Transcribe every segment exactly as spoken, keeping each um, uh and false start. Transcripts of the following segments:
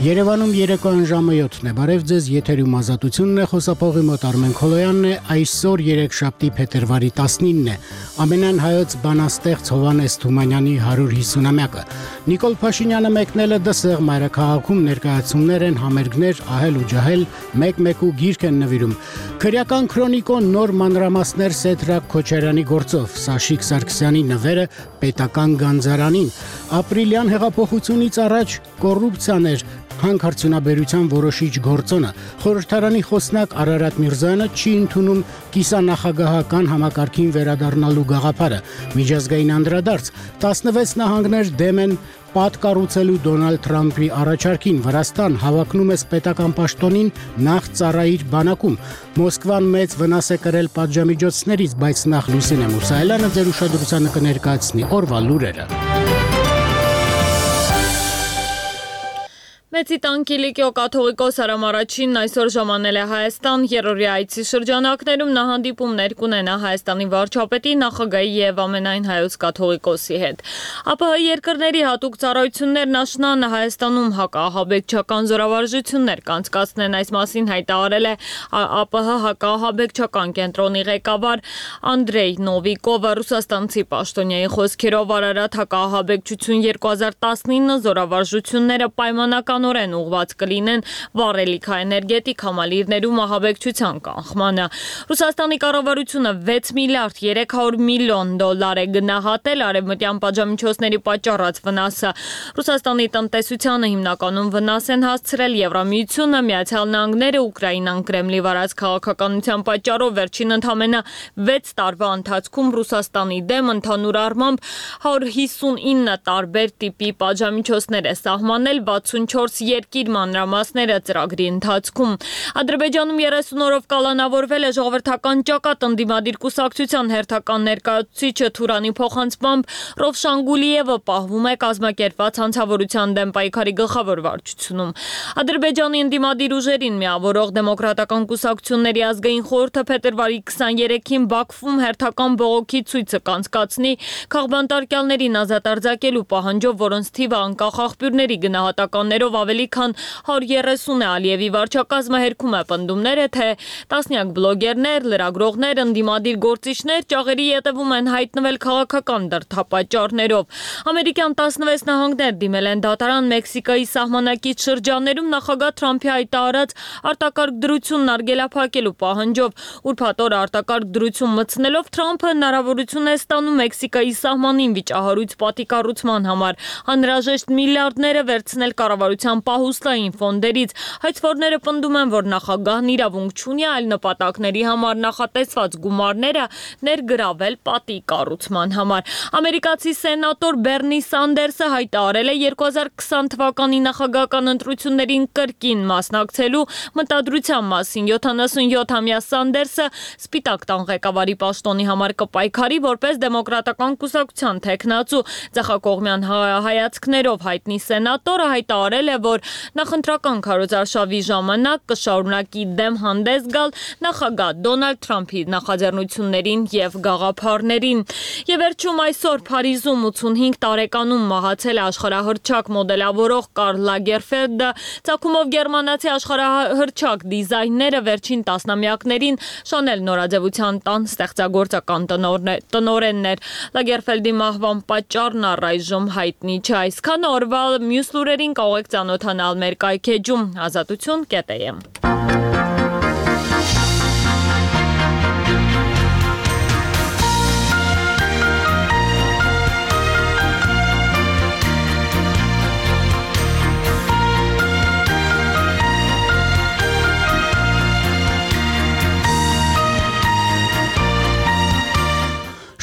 Երևանում երեկոյան ժամը յոթն է, բարև ձեզ, եթերում ազատությունն է, խոսափողի մոտ Արմեն Քոլոյանն է, այսօր երեքշաբթի փետրվարի տասնինն է, ամենայն հայոց բանաստեղծ Հովհաննես Թումանյանի հարյուր հիսունամյակը։ Նիկոլ Փաշինյանը մեկնել է Դսեղ մայրաքաղաքում ներկայացումներ են, համերգներ, ահել ու ջահել, մեկ-մեկ ու գիրք են նվիրում։ Քրեական քրոնիկոն նոր մանրամասներ Սեդրակ Քոչարյանի գործով, Սաշիկ Սարգսյանի նվերը պետական գանձարանին, ապրիլյան հեղափոխությունից առաջ կոռուպցիան էր հանքարդյունաբերության որոշիչ գործոնը, խորհրդարանի խոսնակ Արարատ Միրզոյանը չի ընդունում կիսանախագահական համակարգին վերադառնալու գաղափարը, միջազգային անդրադարձ, տասնվեց նահանգներ դեմ են պատկառուցելու Դոնալդ Թրամփի առաջարկին, Վրաստան հավակնում է պետական պաշտոնին նախ ծառայիր բանակում, Մոսկվան մեծ վնաս է կրել պատժամիջոցներից, բայց նախ Լուսինե Մուսայելյանը ձեր ուշադրությանը կներկայացնի օրվա լուրերը։ Մեծի տանկիլիկյո կաթողիկոս Արամ Առաջինն այսօր ժամանել է Հայաստան, երրորդի այցի շրջանակներում նա հանդիպումներ կունենա Հայաստանի վարչապետի, նախագահի և ամենայն հայոց կաթողիկոսի հետ։ ԱՊՀ երկրների հատուկ ծառայություններն աշնանը Հայաստանում հակաահաբեկչական զորավարժություններ կանցկացնեն, այս մասին հայտարարել է ԱՊՀ հակաահաբեկչական կենտրոնի ղեկավար Անդրեյ Նովիկովը, ռուսաստանցի պաշտոնյայի խոսքերով Արարատ հակաահաբեկչություն երկու հազար տասնինը զորավարժությունները պայմանական ուղված կլինեն վառելիքաէներգետիկ համալիրներում ահաբեկչության կանխմանը։ Ռուսաստանի կառավարությունը վեց միլիարդ երեք հարյուր միլիոն դոլար է գնահատել արևմտյան պատժամիջոցների պատճառած վնասը։ Ռուսաստանի տնտեսությանը հիմնականում վնաս են հասցրել Եվրամիությունը, Միացյալ Նահանգները, Ուկրաինան Կրեմլի վարած քաղաքականության պատճառով վերջին ընդամենը վեց տարվա ընթացքում Ռուսաստանի դեմ ընդհանուր առմամբ հարյուր հիսունինը տարբեր տիպի պատժամիջոցներ է սահմանել վաթսունչորս երկիր մանրամասները ծրագրի ընթացքում։ Ադրբեջանում երեսուն օրով կալանավորվել է ժողովրդական ճակատ ընդդիմադիր կուսակցության հերթական ներկայացուցիչը Թուրանի փոխանցմամբ Ռովշան Գուլիևը պահվում է կազմակերպված հանցավորության դեմ պայքարի գլխավոր վարչությունում։ Ադրբեջանի ընդդիմադիր ուժերին միավորող դեմոկրատական կուսակցությունների ազգային խորհուրդը փետրվարի քսաներեքին Բաքվում հերթական բողոքի ցույցը կանցկացնի քաղբանտարկյալներին ազատ արձակելու պահանջով, որոնց թիվը անկախ աղբյուրների գնահատականներով ավելի քան հարյուր երեսուն է։ Ալիևի վարչակազմը հերքում է պնդումները, թե տասնյակ բլոգերներ, լրագրողներ, ընդդիմադիր գործիչներ ճաղերի ետևում են հայտնվել քաղաքական դրդապատճառներով։ Ամերիկյան տասնվեց նահանգներ դիմել են դատարան Մեքսիկայի սահմանակից շրջաններում նախագահ Թրամփի հայտարարած արտակարգ դրությունն արգելափակելու պահանջով։ Ուրբաթ օրը արտակարգ դրություն մտցնելով Թրամփը հնարավորություն է ստանում Մեքսիկայի սահմանին վիճահարույց պատիկառուցման համար անհրաժեշտ միլիարդները վերցնել կառավարության պահուստային ֆոնդերից։ Հայցվորները պնդում են, որ նախագահն իրավունք չունի այլ նպատակների համար նախատեսված գումարները ներգրավել պատի կառուցման համար։ Ամերիկացի սենատոր Բերնի Սանդերսը հայտարարել է երկու հազար քսան թվականի նախագահական ընտրություններին կրկին մասնակցելու մտադրության մասին։ յոթանասունյոթամյա Սանդերսը Սպիտակ տան ղեկավարի պաշտոնի համար կպայքարի որպես դեմոկրատական կուսակցության թեկնածու։ Ձախակողմյան հայացքներով հայտնի սենատորը հայտարարել է, որ նախընտրական քարոզարշավի ժամանակ կշարունակի դեմ հանդես գալ նախագահ Դոնալդ Թրամփի նախաձեռնություններին և գաղափարներին։ Եվ վերջում այսօր Փարիզում ութսունհինգ տարեկանում մահացել է աշխարհահռչակ մոդելավորող Կարլ Լագերֆելդը, ծագումով գերմանացի աշխարհահռչակ դիզայները վերջին տասնամյակներին Շանել նորաձևության տան ստեղծագործական տնօրենն էր։ Լագերֆելդի մահվան պատճառն առայժմ հայտնի չէ։ Այսքանը օրվա մյուս լուրերին կարող եք ծանոթանալ մեր կայքեջում ազատություն կետ է եմ։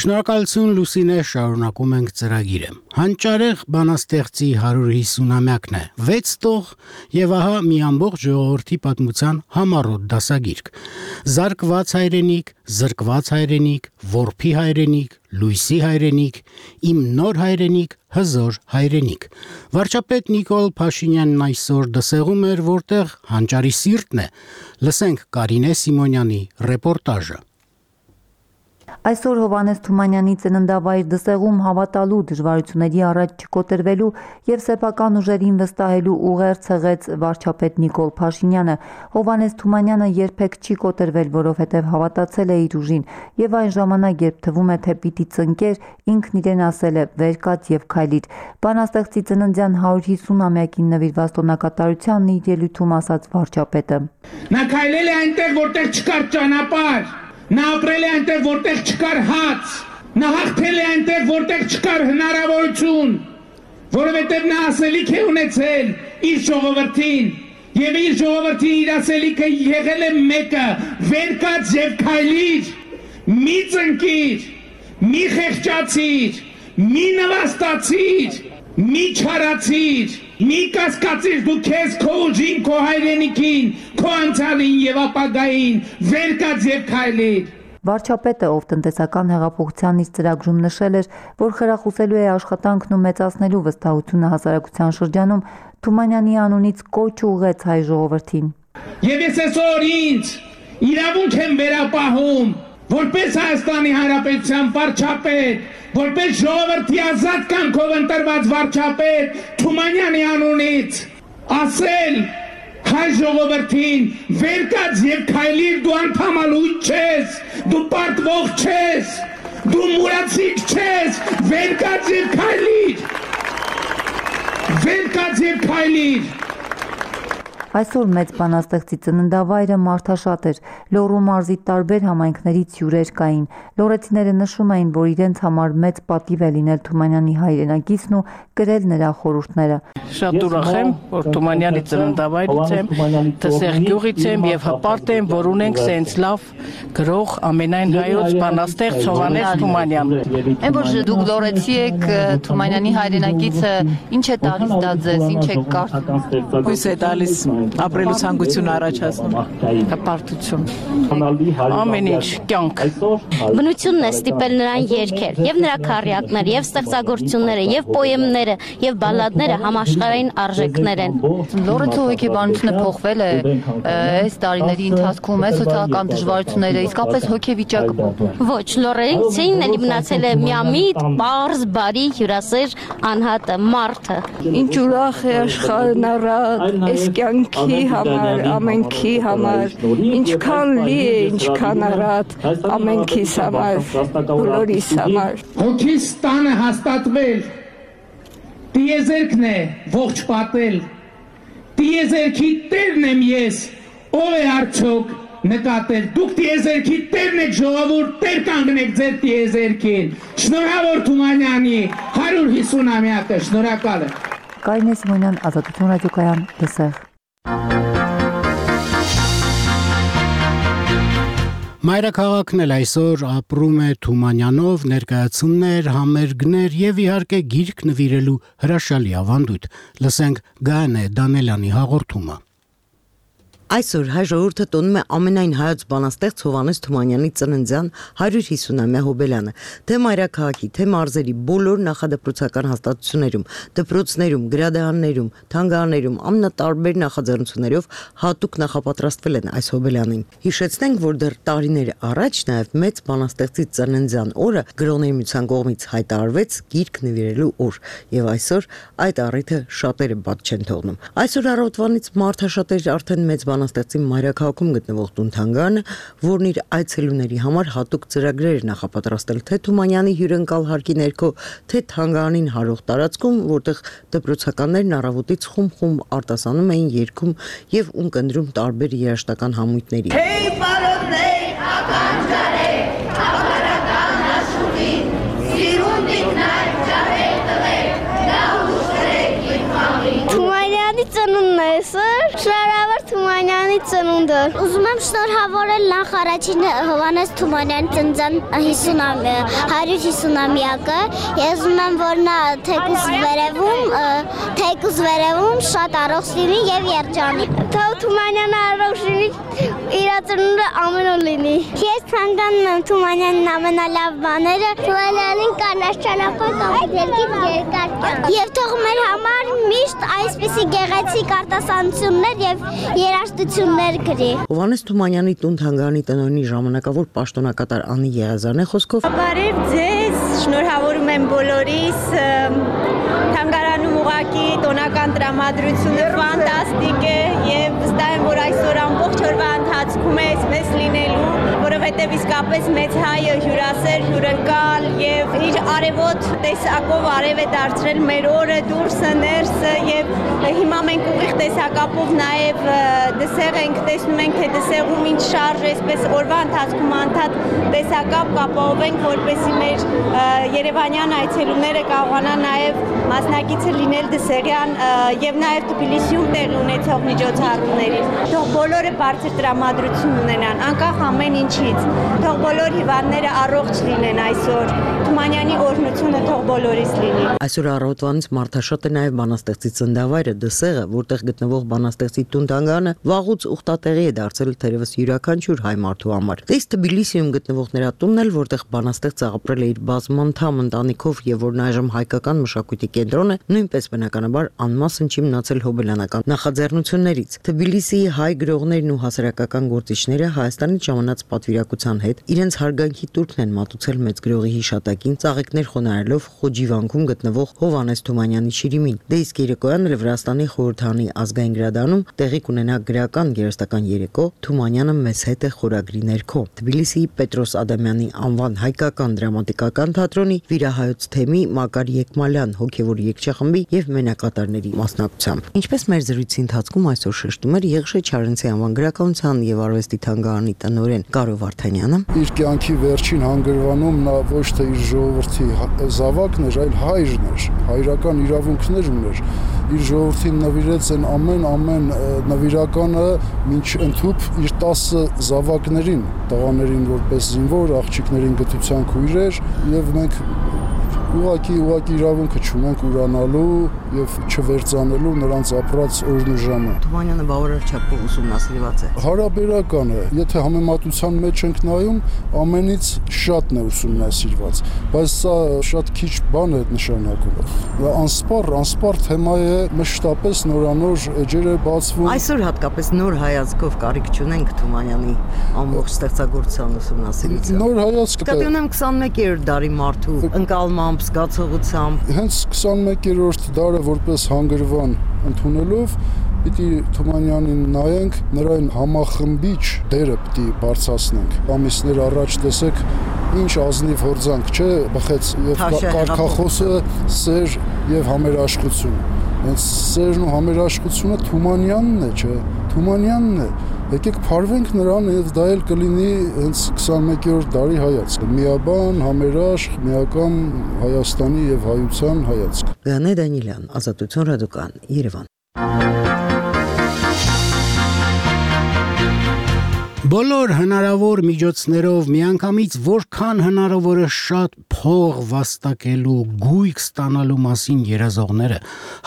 Շնորհակալություն Լուսինե, շարունակում ենք ծրագիրը։ Հանճարեղ բանաստեղծի հարյուր հիսունամյակն է, վեց տող եւ ահա մի ամբողջ ժողովրդի պատմության համառոտ դասագիրք։ Զարկված հայրենիք, զրկված հայրենիք, որփի հայրենիք, լույսի հայրենիք, իմ նոր հայրենիք, հզոր հայրենիք։ Վարչապետ Նիկոլ Փաշինյանն այսօր Դսեղում էր, որտեղ հանճարի սիրտն է։ Լսենք Կարինե Սիմոնյանի ռեպորտաժը։ Այսօր Հովհաննես Թումանյանի ծննդավայր Դսեղում հավատալու, դժվարությունների առաջ չկոտրվելու և սեփական ուժերին վստահելու ուղեր ցեղեց վարչապետ Նիկոլ Փաշինյանը։ Հովհաննես Թումանյանը երբեք չի կոտրվել, որովհետև հավատացել է իր ուժին, և այն ժամանակ, երբ թվում է, թե պիտի ծնկեր, ինքն իրեն ասել է՝ վեր կաց և քայլիր։ Բանաստեղծի ծննդյան հարյուր հիսուն-ամյակին նվիրված տոնակատարությանն իր ելույթում ասաց վարչապետը. Նա քայլել է այնտեղ, որտեղ չկար ճանապարհ, նա ապրել է այնտեղ, որտեղ չկար հաց, նա հաղթել է այնտեղ, որտեղ չկար հնարավորություն, որովհետև նա ասելիք է ունեցել իր ժողովրդին, եւ իր ժողովրդին իր ասելիքը եղել է մեկը՝ վեր կաց եւ քայլիր, մի ծնկիր, մի խեղճացիր, մի նվաստացիր, մի չարացիր, մի կասկածիր դու քեզ, քո ուժին, քո հայրենիքին, քո անցյալին եւ ապագային, վեր կաց եւ քայլիր։ Վարչապետը, ով տնտեսական հեղափոխության իր ծրագրում նշել էր, որ խրախուսելու է աշխատանքն ու մեծացնելու վստահությունը հասարակության շրջանում, Թումանյանի անունից կոչ ուղղեց հայ ժողովրդին։ Եվ ես այսօր ինձ իրավունք եմ վերապահում, որպես Հայաստանի Հանրապետության վարչապետ, որպես ժողովրդի ազատ կամքով ընտրված վարչապետ Թումանյանի անունից ասել հայ ժողովրդին, վեր կաց եւ քայլիր, դու անդամալույց չես, դու պարտվող չես, դու մուրացիկ չես, վեր կաց եւ քայլիր, վեր կաց եւ քայլիր։ Այսօր մեծ բանաստեղծի ծննդավայրը մարդաշատ էր, Լոռու մարզի տարբեր համայնքներից հյուրեր կային։ Լոռեցիները նշում էին, որ իրենց համար մեծ պատիվ է լինել Թումանյանի հայրենակիցն ու կրել նրա խորհուրդները։ Շատ ուրախ եմ, որ Թումանյանի ծննդավայրից եմ, Դսեղ գյուղից եմ եւ հպարտ եմ, որ ունենք սենց լավ գրող ամենայն հայոց բանաստեղծ Հովհաննես Թումանյան։ Այն որ դուք լոռեցի եք, Թումանյանի հայրենակիցը ինչ է տալիս դա ձեզ, ինչ է կարծում։ Հույս է տալիս, ապրելու ցանկություն առաջացնում, հպարտություն, ամեն ինչ, կյանք։ Բնությունն է ստիպել նրան երգել, եւ նրա քառյակները, եւ ստեղծագործությունները, եւ պոեմները, եւ բալլադները համաշխարհային արժեքներ են։ Լոռեցու հոգեբանությունը փոխվել է այս տարիների ընթացքում, այս սոցիալական դժվարությունները, իսկապես հոգեվիճակը։ Ոչ, լոռեցին էլի մնացել է միամիտ, պարզ, բարի, հյուրասեր, անհատը, մարդը։ Ինչ ուրախ է աշխարհն առատ, այս կյանքի համար, ամենքի համար, ինչքան լի է, ինչքան առատ, ամենքիս համար, բոլորիս համար։ Հոգիս տանը հաստատվել, տիեզերքն է ողջ պատել, տիեզերքի տերն եմ ես, ով է արդյոք նկատել, դուք տիեզերքի տերն եք ժողովուրդ, տեր կանգնեք ձեր տիեզերքին, շնորհավոր Թումանյանի հարյուր հիսուն-ամյակը, շնորհակալ եմ։ Կարինե Սիմոնյան, Ազատություն ռադիոկայան, Դսեղ։ Մայրաքաղաքն էլ այսօր ապրում է Թումանյանով, ներկայացումներ, համերգներ եւ իհարկե գիրք նվիրելու հրաշալի ավանդույթ։ Լսենք Գայանե Դանելյանի հաղորդումը։ Այսօր հայ ժողովուրդը տոնում է ամենայն հայոց բանաստեղծ Հովհաննես Թումանյանի ծննդյան հարյուր հիսունամյա հոբելյանը, թե մայրաքաղաքի, թե մարզերի բոլոր նախադպրոցական հաստատություններում, դպրոցներում, գրադարաններում, թանգարաններում ամենատարբեր նախաձեռնություններով հատուկ նախապատրաստվել են այս հոբելյանին։ Հիշեցնենք, որ դեռ տարիներ առաջ նաև մեծ բանաստեղծի ծննդյան օրը Գրողների միության կողմից հայտարարվեց գիրք նվիրելու օր, եւ այսօր այդ առիթը շատերը բաց չեն թողնում։ Այսօր առավոտվանից մարդաշատեր արդեն մեծ բանաստեղծի մայրաքաղաքում գտնվող տուն-թանգարանը, որն իր այցելուների համար հատուկ ծրագրեր էր նախապատրաստել թե Թումանյանի հյուրընկալ հարկի ներքո, թե թանգարանին հարող տարածքում, որտեղ դպրոցականներն առավոտից խումբ-խումբ արտասանում էին, երգում եւ ունկնդրում տարբեր երաժշտական համույթների։ Hey, բարոներ, ականջարեք, ապարական աշխուհին, սիրունդիկ նայք, ջահեր տղեք, նա ուշտրեք իմ խամին։ Թումանյանի ծնունդն է այսօր, շնորհավոր Թումանյանի ծնունդը։ Ուզում եմ շնորհավորել նախ առաջին Հովհաննես Թումանյանի ծննդյան հարյուր հիսունամյակը։ Ես ուզում եմ, որ նա թեկուզ վերևում, թեկուզ վերևում շատ առողջ լինի եւ երջանիկ։ Թող Թումանյանը առողջունի իր ծնունդը ամեն օր լինի։ Ես ցանկանում եմ Թումանյանին ամենալավ բաները, Թումանյանին կանաչ ճանապարհ կամ երկիր երկար կյանք։ Եվ թող մեր համար միշտ այսպիսի գեղեցիկ արտասանություններ եւ երաժշտություններ գրի։ Հովհաննես Թումանյանի տուն-թանգարանի տնօրենի ժամանակավոր պաշտոնակատար Անի Եղազարյանի խոսքով Բարև ձեզ, շնորհավորում եմ բոլորիս, թանգարանում ուղղակի տոնական տրամադրությունը ֆանտաստիկ է եւ վստահ եմ, որ այսօր ամբողջ օրվա ընթացքում է այսպես լինելու, որովհետեւ իսկապես մեծ հայը հյուրասեր, հյուրընկալ եւ իր արևոտ տեսակով արև է դարձրել մեր օրը դուրսը ներսը եւ հիմա մենք ուղիղ տեսակապով նաեւ դսեղ ենք, տեսնում ենք թե դսեղում ինչ շարժ է, այսպես օրվա ընթացքում անդադ տեսակապ կապահովենք, որպեսզի մեր Երևանյան այցելուները կարողանան նաեւ մասնակիցը լինել դսեղյան եւ նաեւ Թբիլիսիում տեղի ունեցող միջոցառումներին։ Թող բոլորը բարձր տրամադրություն ունենան, անկախ ամեն ինչից։ Թող բոլոր հիվանդները առողջ լինեն այսօր։ Թումանյանի օրհնությունը թող բոլորիս լինի։ Այսօր առավոտվանից մարդաշատ է նաեւ բանաստեղծի ծննդավայրը դսեղը, որտեղ գտնվող բանաստեղծի տուն-թանգարանը վաղուց ուխտատեղի է դարձել թերևս յուրաքանչյուր հայ մարդու համար։ Դες Թբիլիսիում գտնվող նրա տունն էլ, որտեղ բանաստեղծը ապրել է իր բազմանդամ ընտանիքով եւ որն այժմ հայկական մշակույթի կենտրոն է, նույնպես բնականաբար անմասն չի մնացել հոբելյանական նախաձեռնություններից։ Թբիլիսիի հայ գրողներն ու հասարակական գործիչները Հայաստանից ժամանած պատվիրակության հետ իրենց հարգանքի տուրքն են մատուցել մեծ գրողի հիշատակին, ծաղիկներ խոնարհելով Խոջիվանքում գտնվող Հովհաննես Թումանյանի շիրիմին։ Դե իսկ երեկոյան էլ Վրաստանի խորհրդանի ազգային գրադարանում տեղի կունենա գրական գերեստական երեկո Թումանյանը մեզ հետ է խորագրի ներքո։ Թբիլիսիի Պետրոս Ադամյանի անվան հայկական դրամատիկական թատրոնի վիրահայոց թեմի Մակար Եկմալյան հոգևոր երգչախմբի եւ մենակատարների մասնակցությամբ։ Ինչպես մեր զրույցի ընթացքում այսօր շեշտում էր Եղշե Չարենցի անվան գրականության եւ արվեստի թանգարանի տնօրեն Կարո Վարդանյանը, իր կյանքի վերջին հանգրվանում նա ոչ թե իր ժողովրդի զավակն էր, այլ հայրն էր, հայրական իրավունքներ ուներ։ Իր ժողովրդին նվիրեց են ամեն ամեն նվիրականը մինչ ընդհուպ իր տասը զավակներին, տղաներին որպես զինվոր, աղջիկներին գտության քույրեր եւ մենք ուղղակի ուղղակի իրավունքը չունենք ուրանալու եւ չվերցանելու նրանց ապրած օրն ու ժամը։ Թումանյանը բավարար չափով ուսումնասիրված է։ Հարաբերական է, եթե համեմատության մեջ ենք նայում, ամենից շատն է ուսումնասիրված, բայց սա շատ քիչ բան է նշանակում։ Անսպառ, անսպառ թեմա է, մշտապես նորանոր էջեր է բացվում։ Այսօր հատկապես նոր հայացքով կարիք չունենք Թումանյանի ամբողջ ստեղծագործության ուսումնասիրության։ Նոր հայացք Կտի ունեմ քսանմեկերորդ դարի մարդու ընկալմամբ, զգացողությամբ։ Հենց քսանմեկերորդ դարը որպես հանգրվան ընդունելով պիտի Թումանյանին նայենք, նրան համախմբիչ դերը պիտի բարձրացնենք։ Ամիսներ առաջ տեսեք ինչ ազնիվ հորձանք, չէ, բխեց եւ կարգախոսը սեր եւ համերաշխություն։ Հենց սերն ու համերաշխությունը Թումանյանն է, չէ, Թումանյանն է։ Եկեք փարվենք նրան եւ դա էլ կլինի հենց քսանմեկերորդ դարի հայացք։ Միաբան, համերաշխ, միական Հայաստանի եւ հայության հայացք։ Գանե Դանիելյան, Ազատություն ռադիոկան, Երևան։ Բոլոր հնարավոր միջոցներով միանգամից որքան հնարավոր է շատ փող վաստակելու, գույք ստանալու մասին երազողները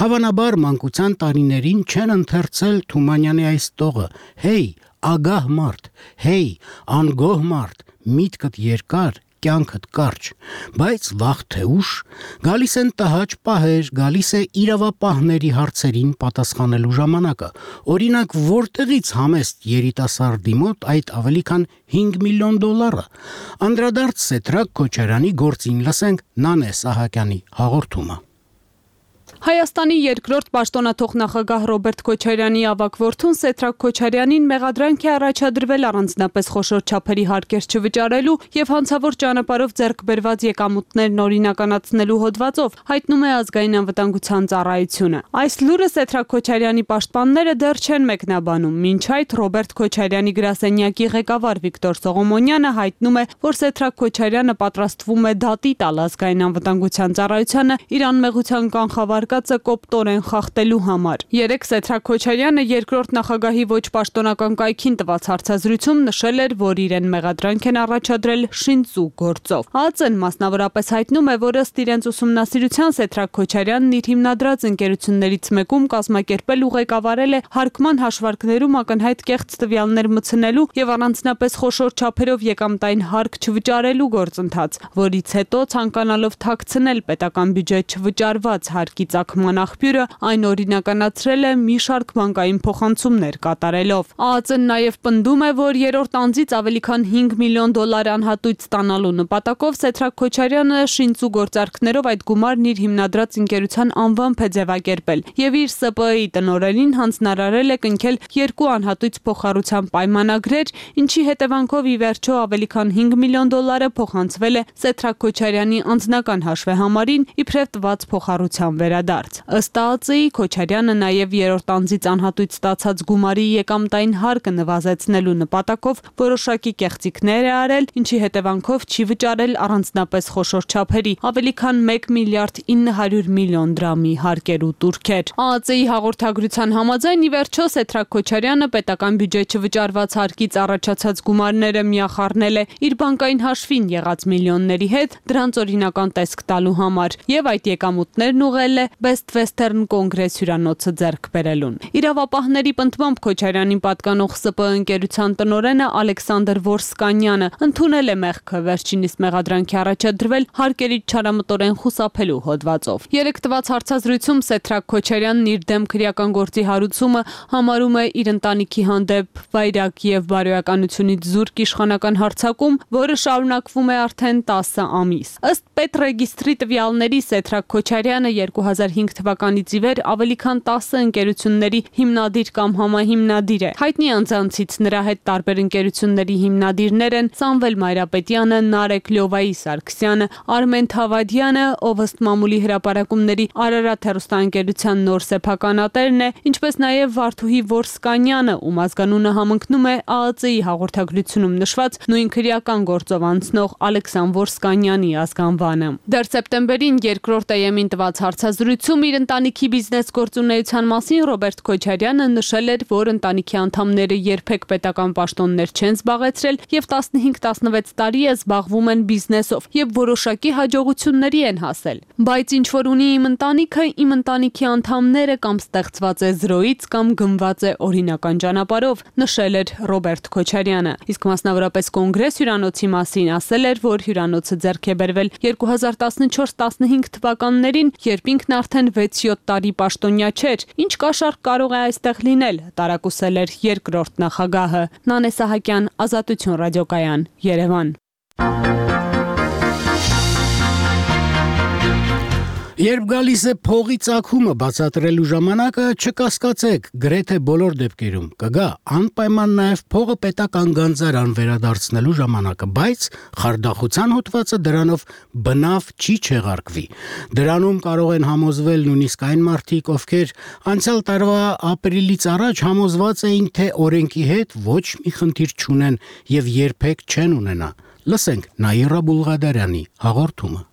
հավանաբար մանկության տարիներին չեն ընթերցել Թումանյանի այս տողը. «Հեյ, ագահ մարդ, հեյ, անգոհ մարդ, միտքդ երկար, կյանքդ կարճ», բայց վաղ թե ուշ գալիս են տհաճ պահեր, գալիս է իրավապահների հարցերին պատասխանելու ժամանակը։ Օրինակ, որտեղից համեստ երիտասարդի մոտ այդ ավելի քան հինգ միլիոն դոլարը։ Անդրադարձ Սեթրակ Քոչարյանի գործին լսենք Նանե Սահակյանի հաղորդումը։ Հայաստանի երկրորդ պաշտոնաթող նախագահ Ռոբերտ Քոչարյանի ավագ որդուն Սեթրակ Քոչարյանին մեղադրանք է առաջադրվել առանձնապես խոշոր չափերի հարկեր չվճարելու եւ հանցավոր ճանապարհով ձեռք բերված եկամուտներն օրինականացնելու հոդվածով, հայտնում է ազգային անվտանգության ծառայությունը։ Այս լուրը Սեթրակ Քոչարյանի պաշտպանները դեռ չեն մեկնաբանում, մինչ այդ Ռոբերտ Քոչարյանի գրասենյակի ղեկավար Վիկտոր Սողոմոնյանը հայտնում է, որ Սեթրակ Քոչարյանը պատրաստվում է դատի տալ ազգային անվտանգության ծառայությանը իր անմեղության կանխավարկած կասկածը կոպտորեն խախտելու համար։ Երեկ Սեթրակ Քոչարյանը երկրորդ նախագահի ոչ պաշտոնական կայքին տված հարցազրույցում նշել էր, որ իրեն մեղադրանք են առաջադրել շինծու գործով։ ԱԱԾ-ն մասնավորապես հայտնում է, որ ըստ իրենց ուսումնասիրության Սեթրակ Քոչարյանն իր հիմնադրած ընկերություններից մեկում կազմակերպել ու ղեկավարել է հարկման հաշվարկներում ակնհայտ կեղծ տվյալներ մտցնելու եւ առանձնապես խոշոր չափերով եկամտային հարկ չվճարելու գործընթաց, որից հետո ցանկանալով թաքցնել պետական բյուջե չվճարված հարկի ծագման աղբյուրը, այն օրինականացրել է մի շարք բանկային փոխանցումներ կատարելով։ ԱԱԾ-ն նաև պնդում է, որ երրորդ անձից ավելի քան հինգ միլիոն դոլար անհատույց ստանալու նպատակով Սեթրակ Քոչարյանը շինծու գործարքներով այդ գումարն իր հիմնադրած ընկերության անվամբ է ձևակերպել եւ իր Ս Պ Ը-ի տնօրենին հանձնարարել է կնքել երկու անհատույց փոխառության պայմանագրեր, ինչի հետևանքով ի վերջո ավելի քան հինգ միլիոն դոլարը փոխանցվել է Սեթրակ Քոչարյանի անձնական հաշվեհամարին իբրև տված փոխառության վերադարձ։ Ըստ ԱԱԾ-ի Քոչարյանը նաև երրորդ անձից անհատույց ստացած գումարի եկամտային հարկը նվազեցնելու նպատակով որոշակի կեղծիքներ է արել, ինչի հետևանքով չի վճարել առանձնապես խոշոր չափերի ավելի քան մեկ միլիարդ ինը հարյուր միլիոն դրամի հարկեր ու տուրքեր։ ԱԱԾ-ի հաղորդագրության համաձայն ի վերջո Սեթրակ Քոչարյանը պետական բյուջե չվճարված հարկից առաջացած գումարները միախառնել է իր բանկային հաշվին եղած միլիոնների հետ դրանց օրինական տեսք տալու համար եւ այդ եկամուտներն ուղղել է Best Western Congress հյուրանոցը ձեռք բերելուն։ Իրավապահների պնդմամբ Քոչարյանին պատկանող Ս Պ ընկերության տնօրենը Ալեքսանդր Որսկանյանը ընդունել է մեղքը, վերջինիս մեղադրանքի առաջադրվել հարկերի չարամտորեն խուսափելու հոդվածով։ Երեք տված հարցազրույցում Սեթրակ Քոչարյանն իր դեմ քրեական գործի հարուցումը համարում է իր ընտանիքի հանդեպ վայրագ եւ բարոյականությունից զուրկ իշխանական հարձակում, որը շարունակվում է արդեն տասը ամիս։ Ըստ պետռեգիստրի տվյալների Սեթրակ Քոչարյանը երկու հազար հինգ թվականից ի վեր ավելի քան տասը ընկերությունների հիմնադիր կամ համահիմնադիր է։ Հայտնի անձանցից նրա հետ տարբեր ընկերությունների հիմնադիրներ են Սամվել Մայրապետյանը, Նարեկ Լյովայի Սարգսյանը, Արմեն Թավադյանը, ով ըստ մամուլի հրապարակումների Արարատ հեռուստաընկերության նոր սեփականատերն է, ինչպես նաև Վարդուհի Որսկանյանը, ում ազգանունը համընկնում է ԱԱԾ-ի հաղորդագրությունում նշված նույն քրեական գործով անցնող Ալեքսան Որսկանյանի ազգանվանը։ Դեռ սեպտեմբերին երկրորդ Է Էմ-ին տված հարցազրույցում իր ընտանիքի բիզնես գործունեության մասին Ռոբերտ Քոչարյանը նշել էր, որ ընտանիքի անդամները երբեք պետական պաշտոններ չեն զբաղեցրել եւ տասնհինգ տասնվեց տարի է զբաղվում են բիզնեսով եւ որոշակի հաջողությունների են հասել։ Բայց ինչ որ ունի իմ ընտանիքը, իմ ընտանիքի անդամները կամ ստեղծված է զրոյից կամ գնված է օրինական ճանապարհով, նշել էր Ռոբերտ Քոչարյանը։ Իսկ մասնավորապես Կոնգրես հյուրանոցի մասին ասել էր, որ հյուրանոցը ձեռք է բերվել երկու հազար տասնչորս տասնհինգ թվականներին, երբ ինքն արդեն վեց-յոթ տարի պաշտոնյա չէր։ Ինչ կաշառք կարող է այստեղ լինել, տարակուսել էր երկրորդ նախագահը։ Նանե Սահակյան, Ազատություն ռադիոկայան, Երևան։ Երբ գալիս է փողի ծագումը բացատրելու ժամանակը, չկասկածեք, գրեթե բոլոր դեպքերում կգա անպայման նաև փողը պետական գանձարան վերադարձնելու ժամանակը, բայց խարդախության հոդվածը դրանով բնավ չի չեղարկվի։ Դրանում կարող են համոզվել նույնիսկ այն մարդիկ, ովքեր անցյալ տարվա ապրիլից առաջ համոզված էին, թե օրենքի հետ ոչ մի խնդիր չունեն եւ երբեք չեն ունենա։ Լսենք Նաիրա Բուլղադարյանի հաղորդումը։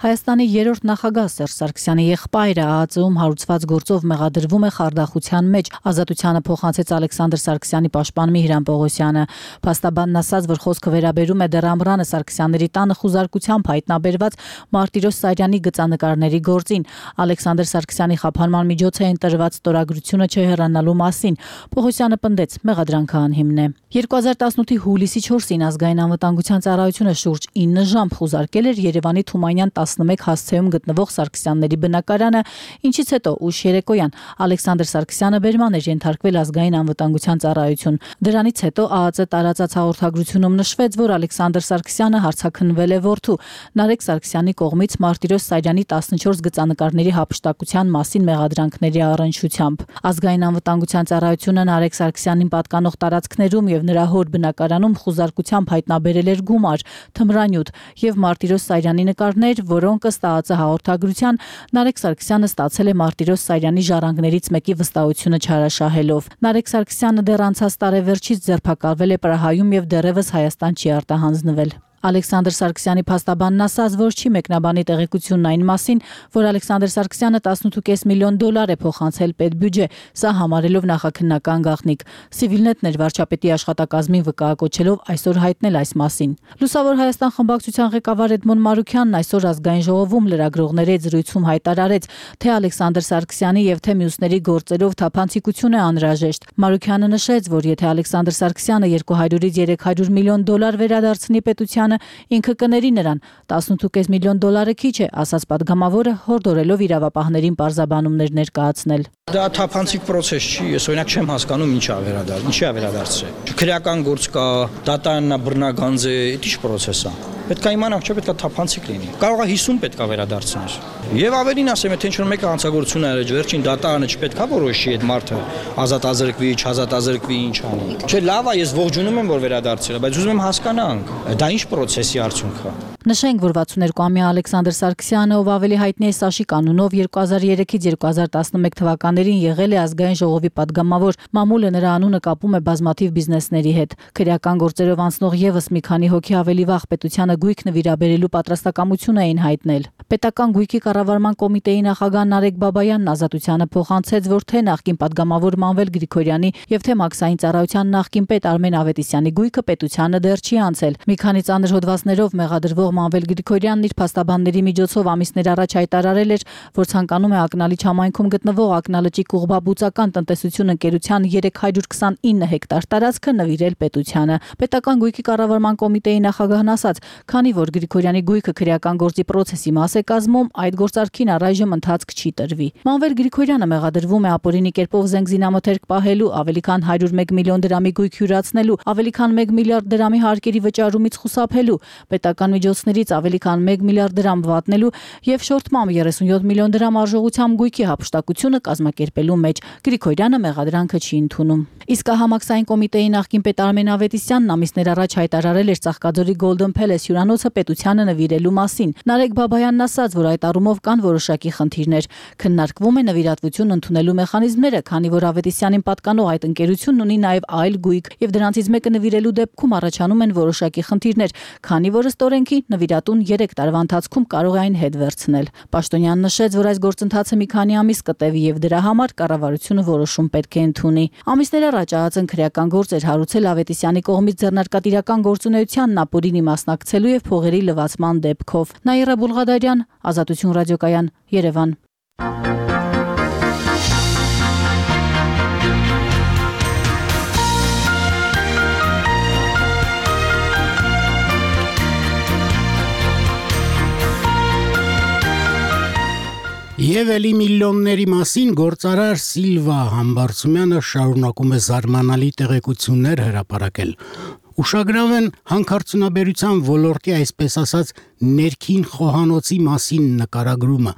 Հայաստանի երրորդ նախագահ Սերժ Սարգսյանի եղբայրը ԱԱԾ-ում հարուցված գործով մեղադրվում է խարդախության մեջ։ Ազատությանը փոխանցեց Ալեքսանդր Սարգսյանի պաշտպան Միհրան Պողոսյանը։ Փաստաբանն ասաց, որ խոսքը վերաբերում է դեռ Ամռանը Սարգսյանների տանը խուզարկությամբ հայտնաբերված Մարտիրոս Սարյանի գծանկարների գործին։ Ալեքսանդր Սարգսյանի խափանման միջոց է ընտրված ստորագրությունը չհեռանալու մասին։ Պողոսյանը պնդեց, մեղադրանքը անհիմն է։ երկու հազար տասնութի հուլիսի չորսին ազգային անվտանգության ծառայությունը շուրջ ինը ժամ խուզարկել էր Երևանի Թումանյան տասնմեկ հասցեում գտնվող Սարգսյանների բնակարանը, ինչից հետո ուշ երեկոյան Ալեքսանդր Սարգսյանը բերման էր ենթարկվել ազգային անվտանգության ծառայություն։ Դրանից հետո ԱԱԾ տարածած հաղորդագրությունում նշվեց, որ Ալեքսանդր Սարգսյանը հարցաքննվել է որդու Նարեկ Սարգսյանի կողմից Մարտիրոս Սարյանի տասնչորս գծանկարների հափշտակության մասին մեղադրանքների առնչությամբ։ Ազգային անվտանգության ծառայությունը Նարեկ Սարգսյանին պատկանող տարածքներում եւ նրա հոր բնակարանում խուզարկությամբ հայտնաբերել էր գումար, թմրանյութ եւ Մարտիրոս Սարյանի նկարներ, որոնք ըստ ԱԱԾ հաղորդագրության Նարեկ Սարգսյանը ստացել է Մարտիրոս Սարյանի ժառանգներից մեկի վստահությունը չարաշահելով։ Նարեկ Սարգսյանը դեռ անցած տարեվերջից ձերբակալվել է Պրահայում եւ դեռևս Հայաստան չի արտահանձնվել։ Ալեքսանդր Սարգսյանի փաստաբանն ասաց, որ չի մեկնաբանի տեղեկությունն այն մասին, որ Ալեքսանդր Սարգսյանը տասնութ փոխանցել կես միլիոն դոլար է փոխանցել պետբյուջե, սա համարելով նախաքննական գաղտնիք։ Civilnet-ն էր վարչապետի աշխատակազմին վկայակոչելով այսօր հայտնել այս մասին։ Լուսավոր Հայաստան խմբակցության ղեկավար Էդմոն Մարուքյանն այսօր ազգային ժողովում լրագրողների զրույցում հայտարարեց, թե Ալեքսանդր Սարգսյանի եւ թե մյուսների գործերով թափանցիկություն է անհրաժեշտ։ Մարուքյանը նշեց, որ եթե Ալեքսանդր Սարգսյանը երկու հարյուրից երեք հարյուր միլիոն դոլար վերադարձնի պետությանը, ինքը կների նրան։ տասնութ կես միլիոն դոլարը քիչ է, ասաց падգամավորը, հորդորելով իրավապահներին պարզաբանումներ ներկայացնել։ Դա թափանցիկ process չի, ես օրինակ չեմ հասկանում ինչի է վերադարձ, ինչի է վերադարձրել։ Քրեական գործ կա, դատաաննա բռնագանձ է, դա ի՞նչ process է։ Պետք է իմանանք, չէ՞ պետք է թափանցիկ լինի։ Կարող է հիսուն պետք է վերադարձնել։ Եվ ավելին ասեմ, եթե ինչ-որ մեկը հանցագործություն արել, վերջին դատաանը չպետք է որոշի այդ մարդը ազատ ազրկվի, չազատ ազրկվի, ինչ անի։ Չէ, լավ է, ես ողջունում եմ, որ վերադարձել է, բայց ուզում եմ հասկանանք, դա ինչ process-ի արդյունք է։ Նշենք, որ վաթսունհերկուամյա Ալեքսանդր Սարգսյանը, ով ավելի հայտնի է Սաշիկ անունով, երկու հազար երեքից երկու հազար տասնմեկ թվականներին եղել է ազգային ժողովի падգամավոր, մամուլը նրա անունը կապում է բազմաթիվ բիզնեսների հետ։ Քրեական գործերով անցնող եւս մի քանի հոգի ավելի վաղ պետությանը գույք նվիրաբերելու պատրաստակամություն էին հայտնել։ Պետական գույքի կառավարման կոմիտեի նախագահ Նարեկ Բաբայանն ազատությանը փոխանցեց, որ թե նախկին падգամավոր Մանվել Գրիգորյանի եւ թե մաքսային ծառայության նախկին պետ Արմեն Ավետիսյանի գույքը պետությանը դեռ չի անցել։ Մի քանի ծանր հոդվածներով մեղադրվող Մանվել Գրիգորյանն իր փաստաբանների միջոցով ամիսներ առաջ հայտարարել էր, որ ցանկանում է Ակնալիչ համայնքում գտնվող Ակնալճի Կուղբաբուծական տնտեսություն ընկերության երեք հարյուր քսանինը հեկտար տարածքը նվիրել պետությանը։ Պետական գույքի կառավարման կոմիտեի նախագահն ասաց, քանի որ Գրիգորյանի գույքը քրեական գործի process-ի մաս է կազմում, այդ գործարքին առայժմ ընթացք չի տրվի։ Մանվել Գրիգորյանը մեղադրվում է ապօրինի կերպով զենք զինամթերք պահելու, ավելի քան հարյուր մեկ միլիոն դրամի գույք հյուրացնելու, ավելի քան մեկ միլիարդ դրամի հարկերի վճարումից խուսափելու, պետական միջոցներից ավելի քան մեկ միլիարդ դրամ վատնելու եւ շորթմամբ երեսունյոթ միլիոն դրամ արժողությամբ գույքի հափշտակությունը կազմակերպելու մեջ։ Գրիգորյանը մեղադրանքը չի ընդունում։ Իսկ համակսային կոմիտեի նախկին պետ Արմեն Ավետիսյանն ամիսներ առաջ հայտարարել էր Ծաղկաձորի Golden Palace հյուրանոցը պետությանը նվիրելու մասին։ Նարեկ Բաբայանն ասաց, որ այդ առումով կան որոշակի խնդիրներ։ Քննարկվում է նվիրատվություն ընդունելու մեխանիզմները, քանի որ Ավետիսյանին պատկանող այդ ընկերությունն ունի նաև այլ գույք, եւ դրանցից մեկը նվիրելու դեպքում առաջանում են որոշակի խնդիրներ, քանի որ ըստ օրենքի նվիրատուն երեք տարվա ընթացքում կարող է այն հետ վերցնել։ Պաշտոնյանն նշեց, որ այս գործընթացը մի քանի ամիս կտևի եւ դրա համար կառավարությունը որոշում պետք է ընդունի։ Ամիսներ առաջ ԱԱԾ-ն քրեական գործ էր հարուցել Ավետիսյանի կողմից ձեռնարկատիրական գործունեությանն ապօրինի մասնակցելու եւ փողերի լվացման դեպքով։ Նաիրա Բուլղադարյան, Ազատություն ռադիոկայան, Երևան։ Եվ էլի միլիոնների մասին գործարար Սիլվա Համբարձումյանը շարունակում է զարմանալի տեղեկություններ հրապարակել։ Ուշագրավ են հանքարդյունաբերության ոլորտի, այսպես ասած, ներքին խոհանոցի մասին նկարագրումը։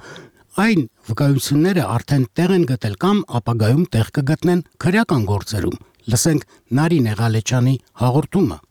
Այն վկայությունները արդեն տեղ են գտել կամ ապագայում տեղ կգտնեն քրեական գործերում։ Լսենք Նարինե Ղալեչյանի հաղորդումը։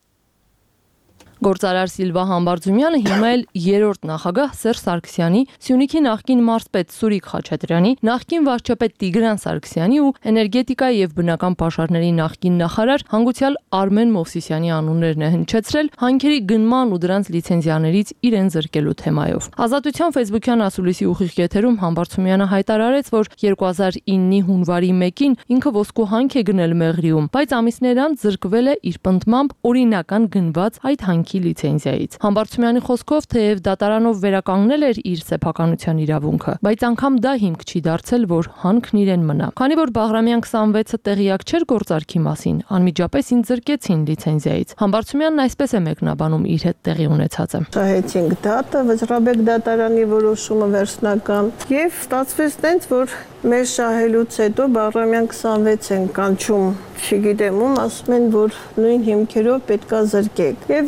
Գործարար Սիլվա Համբարձումյանը հիմա էլ երրորդ նախագահ Սերժ Սարգսյանի, Սյունիքի նախկին մարզպետ Սուրիկ Խաչատրյանի, նախկին վարչապետ Տիգրան Սարգսյանի ու էներգետիկայի եւ բնական պաշարների նախկին նախարար հանգուցյալ Արմեն Մովսիսյանի անուններն է հնչեցրել հանքերի գնման ու դրանց լիցենզիաներից իրեն զրկելու թեմայով։ Ազատության Facebook-յան ասուլիսի ուղիղ եթերում Համբարձումյանը հայտարարեց, որ երկու հազար իննի հունվարի մեկին ինքը ոսկու հանք է գնել Մեղրիում, բայց ամիսներ անց զրկվել է իր պնդմամբ օրինական գնված այդ հանքի լիցենզիայից։ Համբարձումյանի խոսքով, թեև դատարանով վերականգնել էր իր սեփականության իրավունքը, բայց անգամ դա հիմք չի դարձել, որ հանքն իրեն մնա։ Քանի որ Բաղրամյան քսանվեցը տեղյակ չէր գործարքի մասին, անմիջապես ինձ զրկեցին լիցենզիայից։ Համբարձումյանն այսպես է մեկնաբանում իր հետ տեղի ունեցածը։ Շահեցինք դատը, Վճռաբեկ դատարանի որոշումը վերջնական, եւ ստացվեց տենց, որ մեր շահելուց հետո Բաղրամյան քսանվեց են կանչում, չգիտեմ ում, ասում են, որ նույն հիմքերով պետքա զրկեք։ Եվ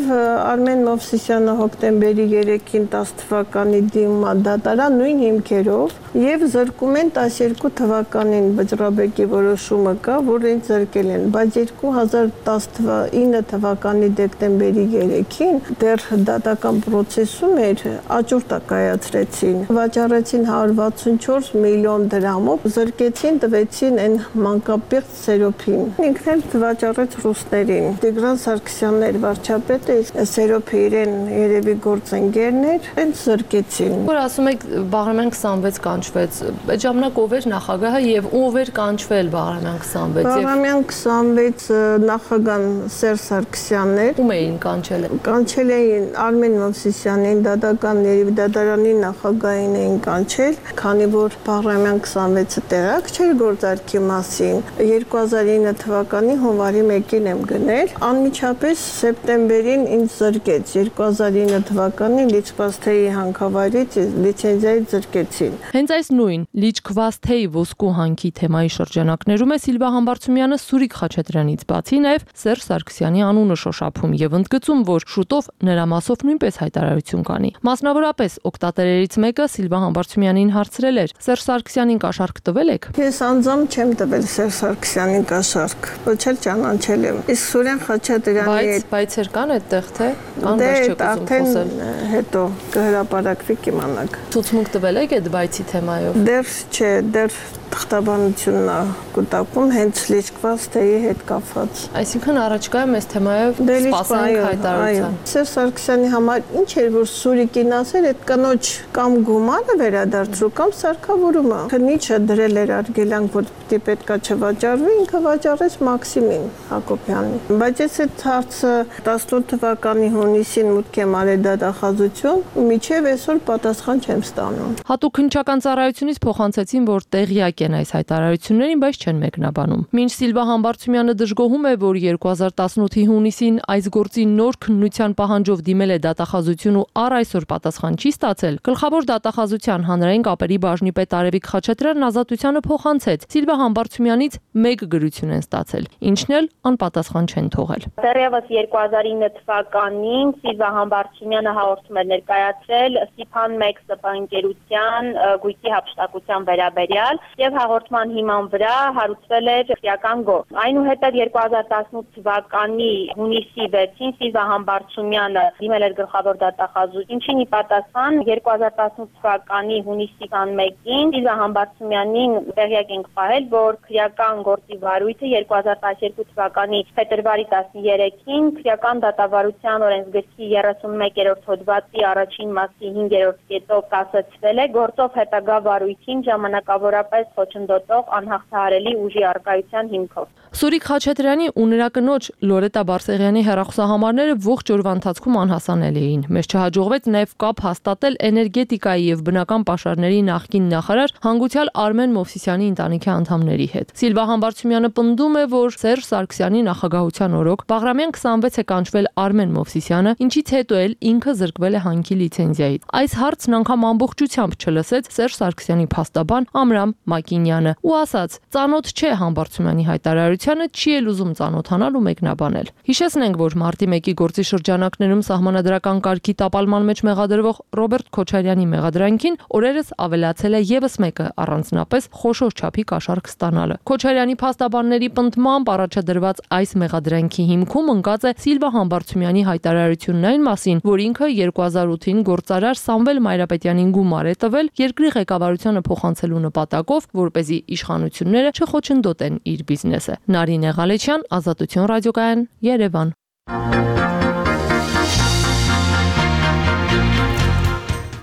Արմեն Մովսիսյանը հոկտեմբերի երեքին տասը թվականի դիմումա դատարան նույն հիմքերով եւ զրկում են տասներկու թվականին Վճռաբեկի որոշումը կա, որ ինձ զրկել են, բայց երկու հազար տասնինը թվականի դեկտեմբերի երեքին դեռ դատական process-ում էր, աճուրդ կայացրեցին, վաճառեցին հարյուր վաթսունչորս միլիոն դրամով, զրկեցին, տվեցին այն մանկապեղծ Սերոփին։ ինքն էլ վաճառեց ռուսներին։ Տիգրան Սարգսյանն էր վարչապետը, Սերոփը իրեն երևի գործընկերն էր, այնց զրկեցին։ Որ ասում եք Բաղրամյան քսանվեց կանչվեց, այդ ժամանակ ով էր նախագահը եւ ով էր կանչվել Բաղրամյան քսանվեց։ Բաղրամյան քսանվեց նախագահան Սերժ Սարգսյանն էր։ Ում էին կանչել։ Կանչել էին Արմեն Մովսիսյանին, դատական երևի դատարանի նախագահին էին կանչել, քանի որ Բաղրամյան քսանվեցը տեղակ չէր գործարքի մասին։ երկու հազար ինը թվականի հունվարի մեկին եմ գնել, անմիջապես սեպտեմբերին ինձ զրկեց։ երկու հազար ինը թվականին Լիչքվասթեի հանքավայրից լիցենզիայից զրկեցին։ Հենց այս նույն Լիչքվասթեի ոսկու հանքի թեմայի շրջանակներում է Սիլվա Համբարձումյանը Սուրիկ Խաչատրյանից բացի նաև Սերժ Սարգսյանի անունը շոշափում եւ ընդգծում, որ շուտով նրա մասով նույնպես հայտարարություն կանի։ Մասնավորապես օգտատերերից մեկը Սիլվա Համբարձումյանին հարցրել էր. Սերժ Սարգսյանին կաշառք տվել եք։ Ես անձամբ չեմ տվել Սերժ Սարգսյանին կաշառք, ոչ էլ ճանաչել եմ։ Իսկ Սուրեն Խաչատրյանի հետ բայց կան այդտեղ թե կան դեռ չեք ուզում խոսել։ Հետո կհրապարակվի կիմանաք։ Ցուցմունք տվել եք այդ բայցի թեմայով։ Դեռ չէ, դեռ թղթաբանությունն է կուտակում հենց Լիչքվասթեի հետ կապված։ Այսինքն առաջկայում այս թեմայով սպասենք հայտարարության։ Սերժ Սարգսյանի համար ինչ էր որ Սուրիկին ասել, այդ կնոջ կամ գումարը վերադարձրու կամ սարքավորումը։ Քնիչը դրել էր արգելանք, որ դի պետքա չվաճառվի, ինքը վաճառեց Մաքսիմին Հակոբյանին։ Բայց ես այդ հարցը տասնութ թվականի հունիսին մուտք եմ արել դատախազություն, միջև այսօր պատասխան չեմ ստանում։ Հատուկ քննչական ծառայությունից փոխանցեցին, որ տեղյակ են այս հայտարարություններին, բայց չեն մեկնաբանում։ Մինչ Սիլվա Համբարձումյանը դժգոհում է, որ երկու հազար տասնութի հունիսին այս գործի նոր քննության պահանջով դիմել է դատախազություն ու առ այսօր պատասխան չի ստացել, գլխավոր դատախազության հանրային կապերի բաժնի պետ Արևիկ Խաչատրյանն ազատությանը փոխանցեց։ Սիլվա Համբարձումյանից մեկ գրություն են ստացել, ինչն էլ անպատասխան չեն թողել։ Դեռևս երկու հազար ինը թվականին Սիլվա Համբարձումյանը հաղորդում էր ներկայացրել Սիփան մեկ սպանկերության գույքի հափշտակության վերաբերյալ եւ հաղորդման հիման վրա հարուցվել էր քրեական գործ։ Այնուհետև երկու հազար տասնութ թվականի հունիսի վեցին Սիլվա Համբարձումյանը դիմել էր գլխավոր դատախազություն, ինչին ի պատասխան երկու հազար տասնութ թվականի հունիսի քսանմեկին Սիլվա Համբարձումյանին տեղյակ ենք պահել, որ քրեական գործի վարույթը երկու հազար տասներկու թվականի փետրվարի տասներեքին քրեական դատավարության օրենսգրքի երեսունմեկերորդ հոդվածի առաջին մասի հինգերորդ կետով կասեցվել է գործով հետագա վարույթին ժամանակավորապես խոչընդոտող անհաղթահարելի ուժի առկայության հիմքով։ Սուրիկ Խաչատրյանի ու նրա կնոջ Լորետա Բարսեղյանի հեռախոսահամարները ողջ օրվա ընթացքում անհասանելի էին։ Մեզ չհաջողվեց նաև կապ հաստատել էներգետիկայի եւ բնական պաշարների նախկին նախարար հանգուցյալ Արմեն Մովսիսյանի ընտանիքի անդամների հետ։ Սիլվա Համբարձումյանը պնդում է, որ Սերժ Սարգսյանի նախագահության օրոք Բաղրամյան քսանվեց է կանչվել Արմեն Մովսիսյանը, ինչից հետո էլ ինքը զրկվել է հանքի լիցենզիայից։ Այս հարցն անգամ ամբողջությամբ չլսեց Սերժ Սարգսյանի փաստաբան Ամրամ Մակինյանը ու ասաց. «Ծանոթ չէ Համբարձումյանի հայտարարությանը, չի էլ ուզում ծանոթանալ ու մեկնաբանել»։ Հիշեցնենք, որ մարտի մեկի գործի շրջանակներում սահմանադրական կարգի տապալման մեջ մեղադրվող Ռոբերտ Քոչարյանի մեղադրանքին օրերս ավելացել է եւս մեկը, առանձնապես խոշոր չափի կաշառք ստանալը։ Քոչարյանի փաստաբանների պնդմամբ առաջադրված այս մեղադրանքի հիմքում ընկած է Սիլվա Համբարձումյանի հայտարարությունն այն մասին, որ ինքը երկու հազար ութին գործարար Սամվել Մայրապետյանին գումար է տվել երկրի ղեկավարությանը փոխանցելու նպատակով, որպեսզի իշխանությունները չխոչընդոտեն իր բիզնեսը։ Նարինե Ղալեչյան, Ազատություն ռադիոկայան, Երևան։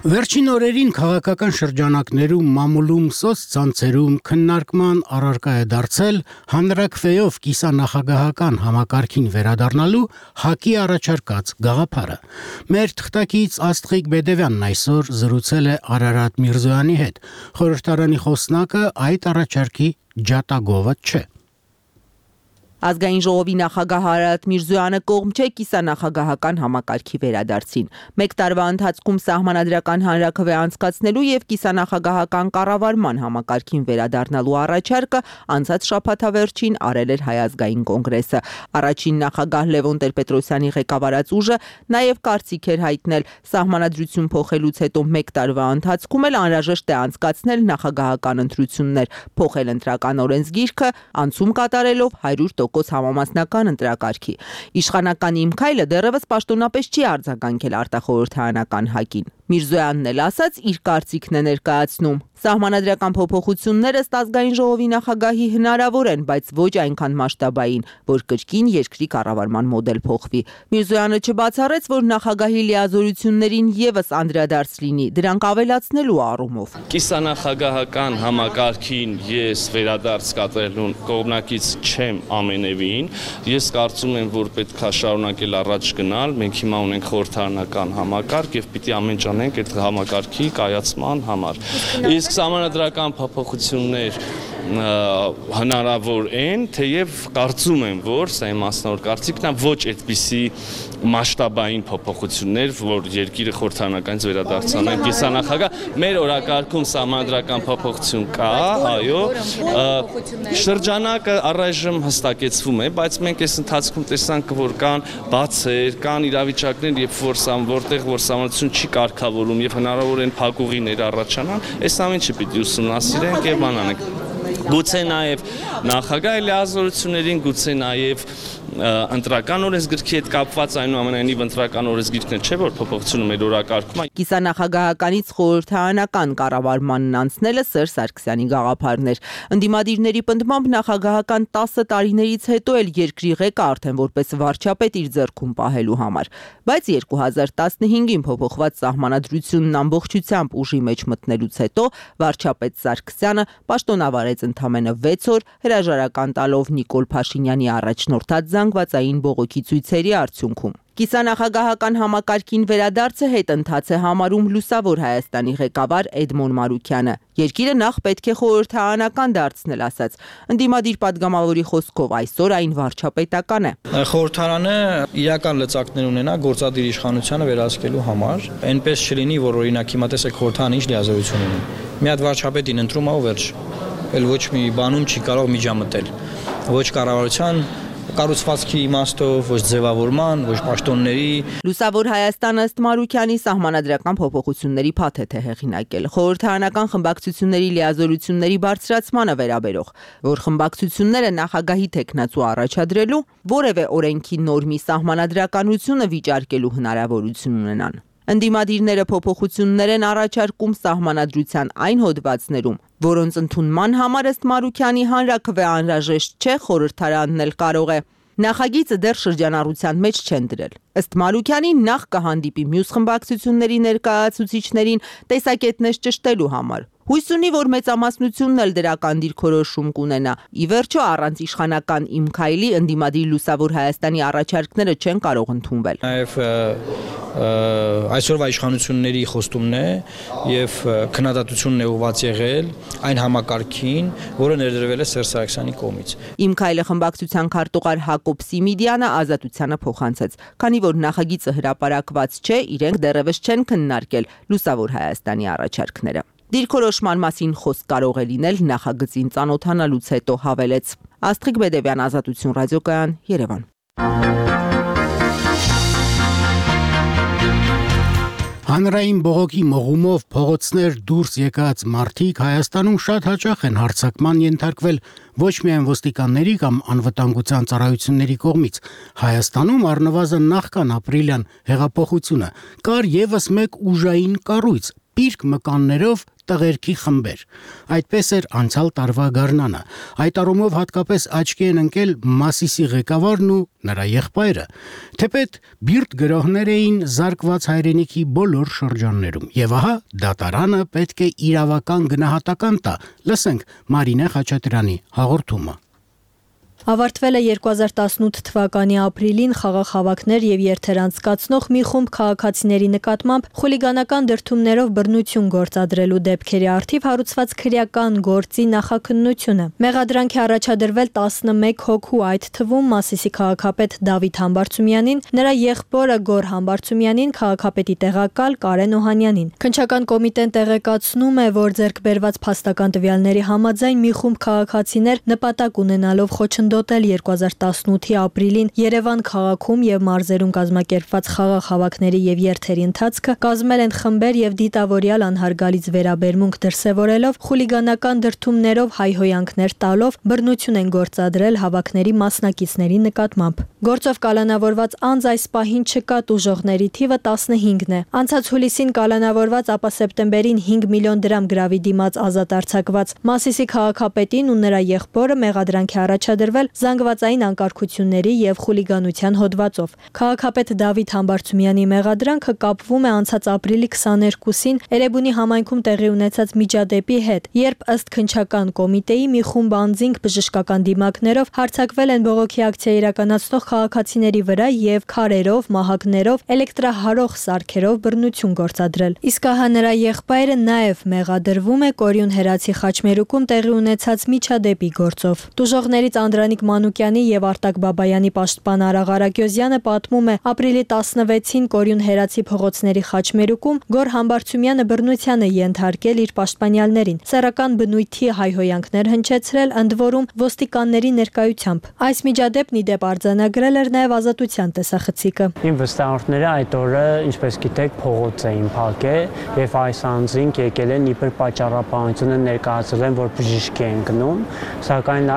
Վերջին օրերին քաղաքական շրջանակներում մամուլում սոցցանցերում քննարկման առարկա է դարձել հանրակրվեով կիսանախագահական համակարգին վերադառնալու ՀԱԿ-ի առաջարկած գաղափարը։ Մեր թղթակից Աստղիկ Բեդևյանն այսօր զրուցել է Արարատ Միրզոյանի հետ։ Խորհրդարանի խոսնակը այդ առաջարկի ջատագովը չէ։ Ազգային ժողովի նախագահ Արարատ Միրզոյանը կողմ չէ կիսանախագահական համակարգի վերադարձին։ Մեկ տարվա ընթացքում սահմանադրական հանրաքվե անցկացնելու եւ կիսանախագահական կառավարման համակարգին վերադառնալու առաջարկը անցած շաբաթավերջին արել էր Հայ ազգային կոնգրեսը։ Առաջին նախագահ Լևոն Տեր-Պետրոսյանի ղեկավարած ուժը նաեւ կարծիք էր հայտնել սահմանադրություն փոխելուց հետո մեկ տարվա ընթացքում էլ անհրաժեշտ է անցկացնել նախագահական ընտրություններ, փոխել ընտրական օրենսգիրքը, անցում կատարելով հարյուր տոկոս տոկոս համամասնական ընտրակարգի։ Իշխանական Իմ քայլը դեռևս պաշտոնապես չի արձագանքել արտախորհրդարանական հակին։ Միրզոյանն էլ ասաց իր կարծիքն է ներկայացնում։ Սահմանադրական փոփոխությունները ըստ ազգային ժողովի նախագահի հնարավոր են, բայց ոչ այնքան մասշտաբային, որ կրկին երկրի կառավարման մոդել փոխվի։ Միրզոյանը չբացառեց, որ նախագահի լիազորություններին եւս անդրադարձ լինի, դրանք ավելացնելու առումով։ Կիսանախագահական համակարգին ես վերադարձ կատարելու կողմնակից չեմ ամենևին։ Ես կարծում եմ, որ պետք է շարունակել առաջ գնալ։ Մենք հիմա ունենք խորհրդարանական համակարգ եւ պիտի ամեն ինչ անենք այդ համակարգի կայացման համար։ Իսկ սահմանադրական փոփոխություններ հնարավոր են, թեև կարծում եմ, որ սա իմ մասնավոր կարծիքն է, ոչ այդպիսի մասշտաբային փոփոխություններ, որ երկիրը խորհրդարանականից վերադարձանեն կիսանախագահ։ Մեր օրակարգում սահմանադրական փոփոխություն կա, այո, շրջանակը առայժմ հստակեցվում է, բայց մենք այս ընթացքում տեսանք, որ կան բացեր, կան իրավիճակներ, երբ որ որտեղ որ սահմանադրություն չի կարգավորում եւ հնարավոր են փակուղիներ առաջանան, այս ամենը պիտի ուսումնասիրենք եւ անանենք։ Գուցե նաև նախագահի լիազորություններին, գուցե նաև ընտրական օրենսգրքի հետ կապված այնուամենայնիվ ընտրական օրենսգիրքն չէ, որ փոփոխությունը մեր օրակարգում է։ Կիսանախագահականից խորհրդարանական կառավարմանն անցնելը Սերժ Սարգսյանի գաղափարն էր։ Ընդդիմադիրների պնդմամբ նախագահական տասը տարիներից հետո էլ երկրի ղեկը արդեն որպես վարչապետ իր ձեռքում պահելու համար։ Բայց երկու հազար տասնհինգին փոփոխված սահմանադրությունն ամբողջությամբ ուժի մեջ մտնելուց հետո վարչապետ Սարգսյանը պաշտոնավարեց ընդամենը վեց օր հրաժարական տալով Նիկոլ Փաշինյանի առաջնորդած զանգվածային բողոքի ցույցերի արդյունքում։ Կիսանախագահական համակարգին վերադարձը հետընթաց է համարում Լուսավոր Հայաստանի ղեկավար Էդմոն Մարուքյանը։ Երկիրը նախ պետք է խորհրդարանական դարձնել, ասաց։ Ընդդիմադիր падգամավորի խոսքով այսօր այն վարչապետական է։ Խորհրդարանը իրական լծակներ ունենա գործադիր իշխանությանը վերահսկելու համար, այնպես չլինի, որ օրինակ հիմա տեսեք խորհրդարանը ինչ լիազորություն ունի։ Մի հատ վարչապետին ընտրում ա ու վերջ։ Էլ ոչ մի բանում չի կարող միջամտել։ Ոչ կառավարության կառուցվածքի իմաստով, ոչ ձևավորման, ոչ պաշտոնների։ Լուսավոր Հայաստանը ըստ Մարուքյանի սահմանադրական փոփոխությունների փաթեթ է հեղինակել խորհրդարանական խմբակցությունների լիազորությունների բարձրացմանը վերաբերող, որ խմբակցությունները նախագահի թեկնածու առաջադրելու որևէ օրենքի նորմի սահմանադրականությունը վիճարկելու հնարավորություն ունենան։ Ընդդիմադիրները փոփոխություններ են առաջարկում սահմանադրության այն հոդվածներում, որոնց ընդունման համար ըստ Մարուքյանի հանրաքվե անհրաժեշտ չէ, խորհրդարանն էլ կարող է։ Նախագիծը դեռ շրջանառության մեջ չեն դրել։ Ըստ Մարուքյանի նախ կհանդիպի մյուս խմբակցությունների ներկայացուցիչներին տեսակետներ ճշտելու համար։ Հույս ունի, որ մեծամասնությունն էլ դրական դիրքորոշում կունենա։ Ի վերջո առանց իշխանական Իմ քայլի ընդդիմադիր Լուսավոր Հայաստանի առաջարկները չեն կարող ընդունվել։ Նաև այսօրվա իշխանությունների խոստումն է եւ քննադատությունն է ուղղված եղել այն համակարգին, որը ներդրվել է Սերժ Սարգսյանի կողմից։ Իմ քայլը խմբակցության քարտուղար Հակոբ Սիմիդյանը ազատությանը փոխանցեց, քանի որ նախագիծը հրապարակված չէ, իրենք դեռևս չեն քննարկել Լուսավոր Հայաստանի առաջարկները։ Դիրքորոշման մասին խոսք կարող է լինել նախագծին ծանոթանալուց հետո, հավելեց։ Աստղիկ Բեդևյան, Ազատություն ռադիոկայան, Երևան։ Հանրային բողոքի մղումով փողոցներ դուրս եկած մարդիկ Հայաստանում շատ հաճախ են հարձակման ենթարկվել ոչ միայն ոստիկանների կամ անվտանգության ծառայությունների կողմից։ Հայաստանում առնվազն նախքան ապրիլյան հեղափոխությունը կար եւս մեկ ուժային կառույց՝ պիրկ մկաններով տղերքի խմբեր։ Այդպես էր անցյալ տարվա գարնանը։ Այդ առումով հատկապես աչքի են ընկել Մասիսի ղեկավարն ու նրա եղբայրը։ Թեպետ բիրտ գրողներ էին զարկված հայրենիքի բոլոր շրջաններում։ Եվ ահա դատարանը պետք է իրավական գնահատական տա։ Լսենք Մարինե Խաչատրյանի հաղորդումը։ Ավարտվել է երկու հազար տասնութ թվականի ապրիլին խաղաղ հավաքներ եւ երթեր անցկացնող մի խումբ քաղաքացիների նկատմամբ խուլիգանական դրդումներով բռնություն գործադրելու դեպքերի առթիվ հարուցված քրեական գործի նախաքննությունը։ Մեղադրանք է առաջադրվել տասնմեկ հոգու, այդ թվում Մասիսի քաղաքապետ Դավիթ Համբարձումյանին, նրա եղբորը Գոր Համբարձումյանին, քաղաքապետի տեղակալ Կարեն Օհանյանին։ Քննչական կոմիտեն տեղեկացնում է, որ ձեռքբերված փաստական տվյալների համաձայն մի խումբ քաղաքացիներ նպատակ ունենալով խոչընդոտել խոչընդոտել երկու հազար տասնութի ապրիլին Երևան քաղաքում եւ մարզերում կազմակերպված խաղաղ հավաքների եւ երթերի ընթացքը կազմել են խմբեր եւ դիտավորյալ անհարգալից վերաբերմունք դրսեւորելով, խուլիգանական դրդումներով հայհոյանքներ տալով բռնություն են գործադրել հավաքների մասնակիցների նկատմամբ։ Գործով կալանավորված անձ այս պահին չկա, տուժողների թիվը տասնհինգն է։ Անցած հուլիսին կալանավորված, ապա սեպտեմբերին հինգ միլիոն դրամ գրավի դիմաց ազատ արձակված Մասիսի քաղաքապետին ու նրա եղբորը մեղադրանք է առաջադրվել զանգվածային անկարգությունների եւ խուլիգանության հոդվածով։ Քաղաքապետ Դավիթ Համբարձումյանի մեղադրանքը կապվում է անցած ապրիլի քսաներկուսին Էրեբունի համայնքում տեղի ունեցած միջադեպի հետ, երբ ըստ քննչական կոմիտեի մի խումբ անձինք բժշկական դիմակներով հարձակվել են բողոքի ակցիա իրականացնող քաղաքացիների վրա եւ քարերով, մահակներով, էլեկտրահարող սարքերով բռնություն գործադրել։ Իսկ ահա նրա եղբայրը նաեւ մեղադրվում է Կորյուն Հերացի խաչմերուկում տեղի ունեցած միջադեպի գործով։ Տուժողներից Անդրանիկ Մանուկյանի եւ Արտակ Բաբայանի պաշտպան Արաղ Արագյոզյանը պատմում է, ապրիլի տասնվեցին Կորյուն Հերացի փողոցների խաչմերուկում Գոր Համբարձումյանը բռնության է ենթարկել իր պաշտպանյալներին, սեռական բնույթի հայհոյանքներ հնչեցրել, ընդ որում ոստիկանների ներկայությամբ։ Այս միջադեպն ի դեպ արձանագրել էր նաեւ Ազատության տեսախցիկը։ Իմ վստահորդները այդ օրը, ինչպես գիտեք, փողոց էին փակել եւ այս անձինք եկել են իբր պատճառաբանությունը ներկայացրել են, որ բժիշկ են գնում, սակայն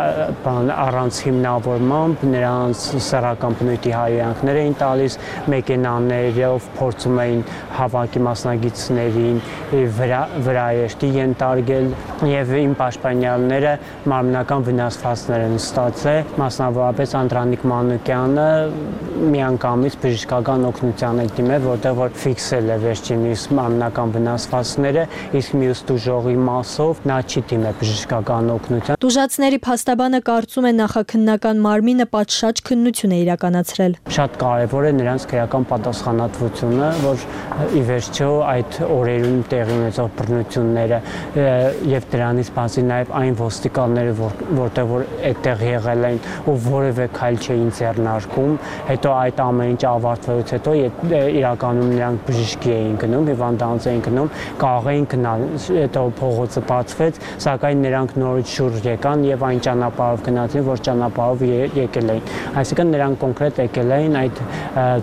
առանց հիմնավորմամբ նրանց սեռական բնույթի հայհոյանքներ էին տալիս, մեքենաներով փորձում էին հավաքի մասնագետներին վրա վրայեշտի ենթարկել եւ իմ պաշտպանյալները մարմնական վնասվածքներ են ստացել, մասնավորապես Անդրանիկ Մանուկյանը միանգամից բժշկական օգնության է դիմել, որտեղ որ ֆիքսել է վերջինիս մարմնական վնասվածքները, իսկ մյուս տուժողի մասով նա չի դիմել բժշկական օգնության։ Տուժածների փաստաբանը կարծում է նախաքննական մարմինը պատշաճ քննություն է իրականացրել։ Շատ կարևոր է նրանց քրեական պատասխանատվությունը, որ ի վերջո այդ օրերում տեղի ունեցող բռնությունները եւ դրանից բացի նաեւ այն ոստիկանները, որտեղ որ այդտեղ եղել են ու որևէ քայլ չէին ձեռնարկում, հետո այդ ամեն ինչ ավարտվելուց հետո իրականում նրանք բժշկի էին գնում, հիվանդանոց էին գնում, կարող էին գնալ, հետո փողոցը բացվեց, սակայն նրանք նորից շուրջ եկան եւ այն ճանապարհով գնացին, որ ճանապարհով եկել էին։ Այսինքն նրանք կոնկրետ եկել էին այդ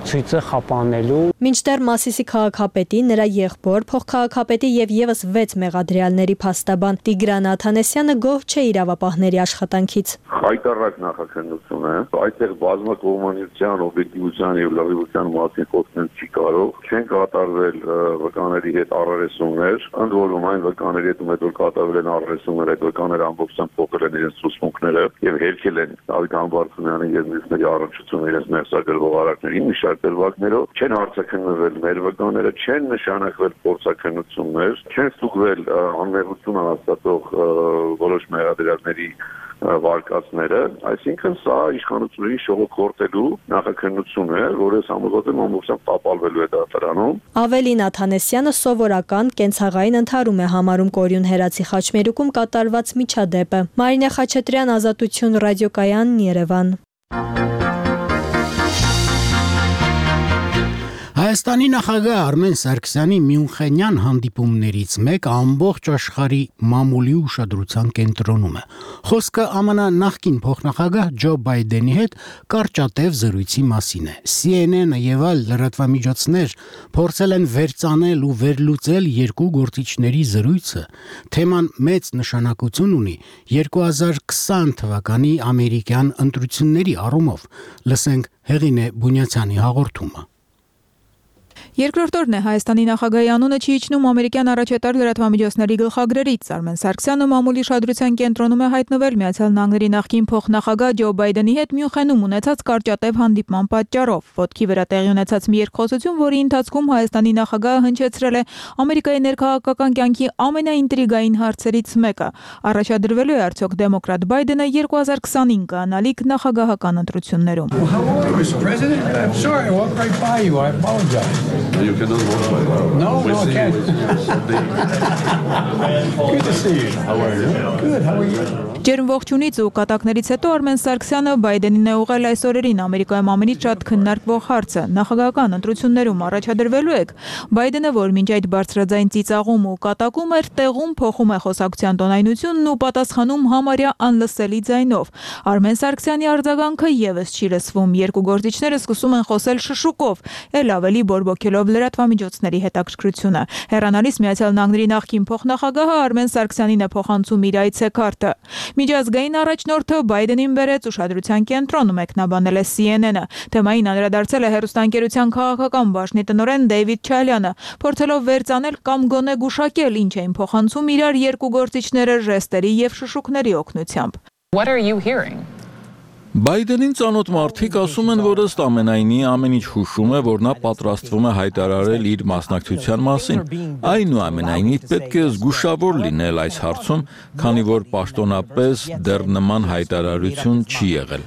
ցույցը խափանելու։ Մինչդեռ Մասիսի քաղաքապետի, նրա եղբոր, փոխքաղաքապետի եւ եւս վեց մեղադրյալների փաստաբան Տիգրան Աթանեսյանը գոհ չէ իրավապահների աշխատանքից։ Հայտարարակ նախաքննություն է, այդտեղ բազմակողմանիության, օբյեկտիվության եւ լրիվության մասին խոսել չի կարող, չեն կատարվել վկաների հետ առերեսումներ, ընդ որում այն վկաների հետ ում որ կատարվել են առերեսումներ, այդ վկաները ամբողջությամբ փոխել են իրենց ցուցմունքները եւ հերքել են Դավիթ Համբարձումյանի եւ մյուսների առողջությունը իրենց մեղսագրվող արարքների մի շարք դրվագներով, չեն հարցաքննվել մեր վկաները, չեն նշանակվել փորձաքննություններ, չեն ստուգվել անմեղություն հաստատող որոշ մեղադրյալների վարկածները, այսինքն սա իշխանությունների շողոքորտելու նախաքննություն է, որը համոզված եմ ամբողջությամբ տապալվելու է դատարանում։ Ավելին Աթանեսյանը սովորական կենցաղային ընդհարում է համարում Կորյուն Հերացի խաչմերուկում կատարված միջադեպը։ Մարինե Խաչատրյան, Ազատություն ռադիոկայան, Երևան։ Հայաստանի նախագահ Արմեն Սարգսյանի Մյունխենյան հանդիպումներից մեկը ամբողջ աշխարհի մամուլի ուշադրության կենտրոնում է։ Խոսքը ԱՄՆ նախկին փոխնախագահ Ջո Բայդենի հետ կարճատև զրույցի մասին է։ C N N-ը եւ այլ լրատվամիջոցներ փորձել են վերծանել ու վերլուծել երկու գործիչների զրույցը։ Թեման մեծ նշանակություն ունի երկու հազար քսան թվականի ամերիկյան ընտրությունների առումով։ Լսենք Հեղինե Բունյացյանի հաղորդումը։ Երկրորդ օրն է Հայաստանի նախագահի անունը չի իջնում ամերիկյան առաջատար լրատվամիջոցների գլխագրերից։ Արմեն Սարգսյանը մամուլի շադրության կենտրոնում է հայտնվել Միացյալ Նահանգների նախկին փոխնախագահ Ջո Բայդենի հետ Մյունխենում ունեցած կարճատև հանդիպման պատճառով։ Ոտքի վրա տեղի ունեցած մի երկխոսություն, որի ընթացքում Հայաստանի նախագահը հնչեցրել է Ամերիկայի ներքաղաքական կյանքի ամենաինտրիգային հարցերից մեկը։ Առաջադրվելու է արդյոք դեմոկրատ Բայդենը երկու հազար քսանհինգ անալիք նախագահական ընտրություններում։ You cannot vote by now. No, we no, I can't. Good to see you. How are you? Good, how are you? Ջերմ ողջունից ու կատակներից հետո Արմեն Սարգսյանը Բայդենին է ուղղել այս օրերին Ամերիկայում ամենից շատ քննարկվող հարցը՝ նախագահական ընտրություններում առաջադրվելու եք։ Բայդենը, որ մինչ այդ բարձրաձայն ծիծաղում ու կատակում էր, տեղում փոխում է խոսակցության տոնայնությունն ու պատասխանում համարյա անլսելի ձայնով։ Արմեն Սարգսյանի արձագանքը եւս չի լսվում։ Երկու գործիչները սկսում են խոսել շշուկով, ել ավելի բորբոքելով լրատվամիջոցների հետաքրքրությունը։ Հեռանալիս Միացյալ Նահանգների նախկին փոխնախագահը Արմեն Սարգսյանին է փոխանցում իր այցեքարտը։ Միջազգային առաջնորդը Բայդենին բերեց ուշադրության կենտրոն, մեկնաբանել է C N N-ը։ Թեմային անդրադարձել է հեռուստաընկերության քաղաքական բաժնի տնօրեն Դեյվիդ Չալյանը, փորձելով վերծանել կամ գոնե գուշակել ինչ էին փոխանցում իրար երկու գործիչները ժեստերի եւ շշուկների օգնությամբ։ What are you hearing? Բայդենին ծանոթ մարդիկ ասում են, որ ըստ ամենայնի ամեն ինչ հուշում է, որ նա պատրաստվում է հայտարարել իր մասնակցության մասին։ Այնուամենայնիվ պետք է զգուշավոր լինել այս հարցում, քանի որ պաշտոնապես դեռ նման հայտարարություն չի եղել։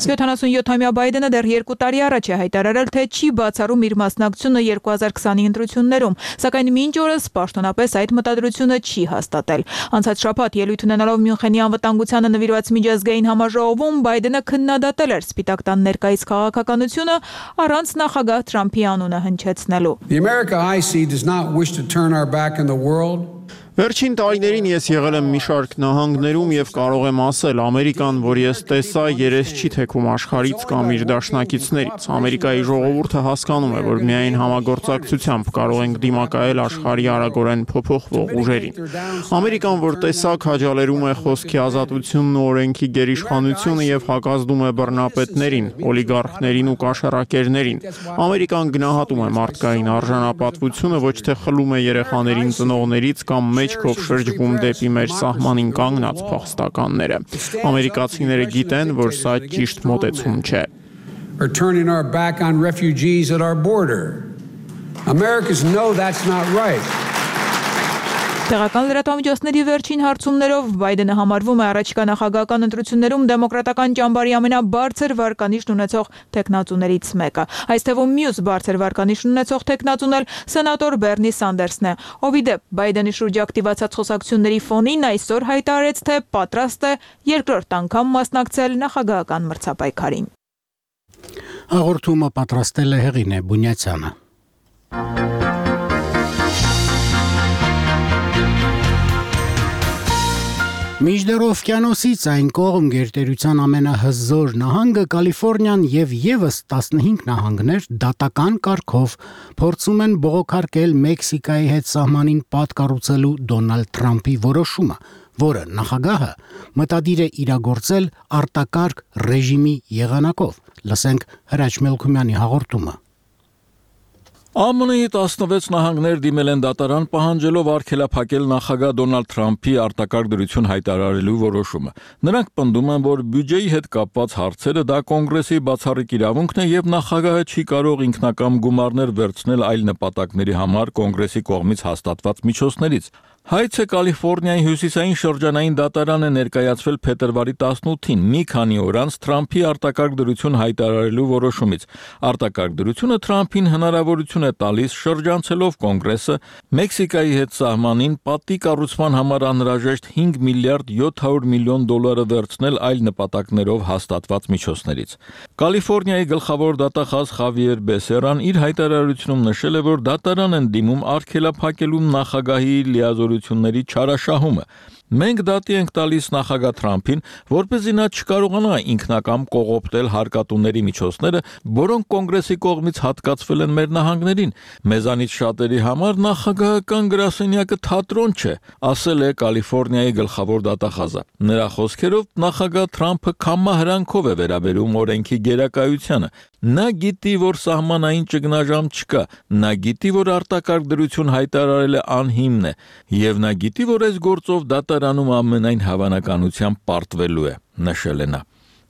յոթանասունյոթամյա Բայդենը դեռ երկու տարի առաջ է հայտարարել, թե չի բացառում իր մասնակցությունը երկու հազար քսանի ընտրություններում, սակայն մինչ օրս պաշտոնապես այդ մտադրությունը չի հաստատել։ Անցած շաբաթ ելույթ ունենալով Մյունխենի անվտանգությանը նվիրված միջազգային համաժողովում Բայդենը քննադատել էր Սպիտակ տան ներկայիս քաղաքականությունը առանց նախագահ Թրամփի անունը հնչեցնելու։ The America I see does not wish to turn our back on the world. Վերջին տարիներին ես եղել եմ մի շարք նահանգներում եւ կարող եմ ասել, Ամերիկան, որ ես տեսա, երես չի թեքում աշխարհից կամ իր դաշնակիցներից։ Ամերիկայի ժողովուրդը հասկանում է, որ միայն համագործակցությամբ կարող ենք դիմակայել աշխարհի արագորեն փոփոխվող ուժերին։ Ամերիկան, որ տեսա, քաջալերում է խոսքի ազատությունն ու օրենքի գերիշխանությունը եւ հակազդում է բռնապետներին, օլիգարխներին ու կաշառակերներին։ Ամերիկան գնահատում է մարդկային արժանապատվությունը, ոչ թե խլում է երեխաներին ծնողներից կամ մեջքով շրջվում դեպի մեր սահմանին կանգնած փախստականները։ Ամերիկացիները գիտեն, որ սա ճիշտ մոտեցում չէ։ We're turning our back on refugees at our border. Americans know that's not right. Տեղական լրատվամիջոցների վերջին հարցումներով Բայդենը համարվում է առաջիկա նախագահական ընտրություններում դեմոկրատական ճամբարի ամենաբարձր վարկանիշն ունեցող տեխնացուներից մեկը։ Այս թվում մյուս բարձր վարկանիշն ունեցող տեխնացուն էլ սենատոր Բեռնի Սանդերսն է, ով ի դեպ Բայդենի շուրջ ակտիվացած խոսակցությունների ֆոնին այսօր հայտարարեց, թե պատրաստ է երկրորդ անգամ մասնակցել նախագահական մրցապայքարին։ Հաղորդումը պատրաստել է Հեղինե Բունյացյանը։ Միջդեռ օվկիանոսից այն կողմ գերտերության ամենահզոր նահանգը Կալիֆոռնիան եւ եւս տասնհինգ նահանգներ դատական կարգով փորձում են բողոքարկել Մեքսիկայի հետ սահմանին պատկառուցելու Դոնալդ Թրամփի որոշումը, որը նախագահը մտադիր է իրագործել արտակարգ ռեժիմի եղանակով։ Լսենք Հրաչ Մելքումյանի հաղորդումը։ A M N-ի տասնվեց նահանգներ դիմել են դատարան պահանջելով արգելափակել նախագահ Դոնալդ Թրամփի արտակարգ դրություն հայտարարելու որոշումը։ Նրանք պնդում են, որ բյուջեի հետ կապված հարցերը դա կոնգրեսի բացառիկ իրավունքն է եւ նախագահը չի կարող ինքնակամ գումարներ վերցնել այլ նպատակների համար կոնգրեսի կողմից հաստատված միջոցներից։ Հայցը Կալիֆոռնիայի հյուսիսային շրջանային դատարան է ներկայացվել փետրվարի տասնութին, մի քանի օր անց Թրամփի արտակարգ դրություն հայտարարելու որոշումից։ Արտակարգ դրությունը Թրամփին հնարավորություն է տալիս շրջանցելով կոնգրեսը Մեքսիկայի հետ սահմանին պատի կառուցման համար անհրաժեշտ հինգ միլիարդ յոթ հարյուր միլիոն դոլարը վերցնել այլ նպատակներով հաստատված միջոցներից։ Կալիֆոռնիայի գլխավոր դատախազ Խավիեր Բեսերան իր հայտարարությունում նշել է, որ դատարան են դիմում արգելափակելու նախագահի լիազորությունների չարաշահումը։ Մենք դատի ենք տալիս նախագահ Թրամփին, որպեսզի նա չկարողանա ինքնակամ կողոպտել հարկատուների միջոցները, որոնք կոնգրեսի կողմից հատկացվել են մեր նահանգներին։ Մեզանից շատերի համար նախագահական գրասենյակը թատրոն չէ, ասել է Կալիֆոռնիայի գլխավոր դատախազը։ Նրա խոսքերով նախագահ Թրամփը կամահրանքով է վերաբերում օրենքի գերակայությանը։ Նա գիտի, որ սահմանային ճգնաժամ չկա, նա գիտի, որ արտակարգ դրություն հայտարարելը անհիմն է, եւ նա գիտի, որ այս գործով դատարանում ամենայն հավանականությամբ պարտվելու է, նշել է նա։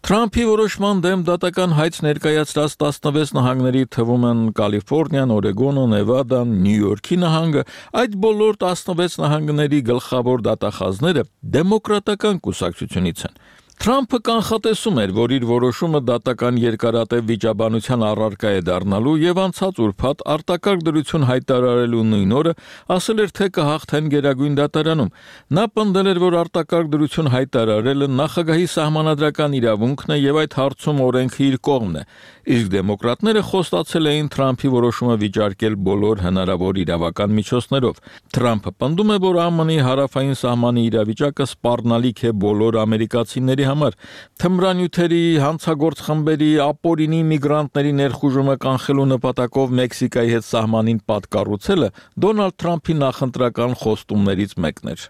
Թրամփի որոշման դեմ դատական հայց ներկայացրած տասնվեց նահանգների թվում են Կալիֆոռնիան, Օրեգոնը, Նևադան, Նյու Յորքի նահանգը, այդ բոլոր տասնվեց նահանգների գլխավոր դատախազները դեմոկրատական կուսակցությունից են։ Թրամփը կանխատեսում էր, որ իր որոշումը դատական երկարատև վիճաբանության առարկա է դառնալու եւ անցած ուրբաթ արտակարգ դրություն հայտարարելու նույն օրը ասել էր, թե կհաղթեն Գերագույն դատարանում։ Նա պնդել էր, որ արտակարգ դրություն հայտարարելը նախագահի սահմանադրական իրավունքն է եւ այդ հարցում օրենքը իր կողմն է։ Իսկ դեմոկրատները խոստացել էին Թրամփի որոշումը վիճարկել բոլոր հնարավոր իրավական միջոցներով։ Թրամփը պնդում է, որ ԱՄՆ-ի հարավային սահմանի իրավիճակը սպառնալիք է բոլոր ամերիկացիների համար։ Թմրանյութերի, հանցագործ խմբերի, ապօրինի միգրանտների ներխուժումը կանխելու նպատակով Մեքսիկայի հետ սահմանին պատկառուցելը Դոնալդ Թրամփի նախընտրական խոստումներից մեկն էր։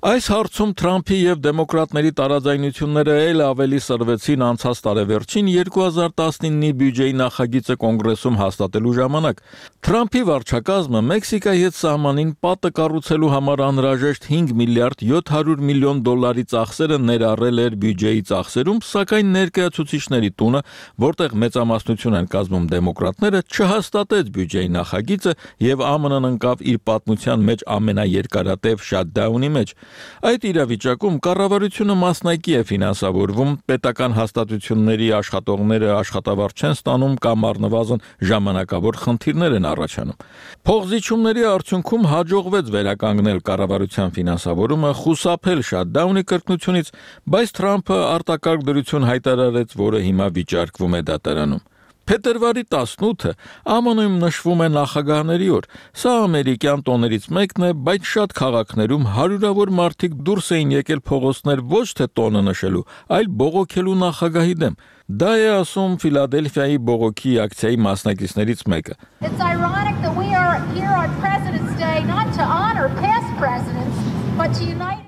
Այս հարցում Թրամփի եւ դեմոկրատների տարաձայնությունները ել ավելի սրվեցին անցած տարեվերջին երկու հազար տասնինի բյուջեի նախագիծը կոնգրեսում հաստատելու ժամանակ։ Թրամփի վարչակազմը Մեքսիկայի հետ սահմանին պատը կառուցելու համար անհրաժեշտ հինգ միլիարդ յոթ հարյուր միլիոն դոլարի ծախսերը ներառել էր բյուջեի ծախսերում, սակայն ներկայացուցիչների տունը, որտեղ մեծամասնություն են կազմում դեմոկրատները, չհաստատեց բյուջեի նախագիծը եւ ԱՄՆ-ն ընկավ իր պատմության մեջ ամենաերկարատև շաթդաունի մեջ։ Այդ իրավիճակում կառավարությունը մասնակի է ֆինանսավորվում, պետական հաստատությունների աշխատողները աշխատավարձ չեն ստանում կամ առնվազն ժամանակավոր խնդիրներ են առաջանում։ Փողզիջումների արդյունքում հաջողվեց վերականգնել կառավարության ֆինանսավորումը, խուսափել շաթդաունի կրկնությունից, բայց Թրամփը արտակարգ դրություն հայտարարեց, որը հիմա վիճարկվում է դատարանում։ Փետրվարի տասնութը ԱՄՆ-ում նշվում է նախագահների օր։ Սա ամերիկյան տոներից մեկն է, բայց շատ քաղաքներում հարյուրավոր մարդիկ դուրս էին եկել փողոցներ ոչ թե տոնը նշելու, այլ բողոքելու նախագահի դեմ։ Դա է ասում Ֆիլադելֆիայի բողոքի ակցիայի մասնակիցներից մեկը։ It's ironic that we are here on President's Day not to honor past presidents, but to unite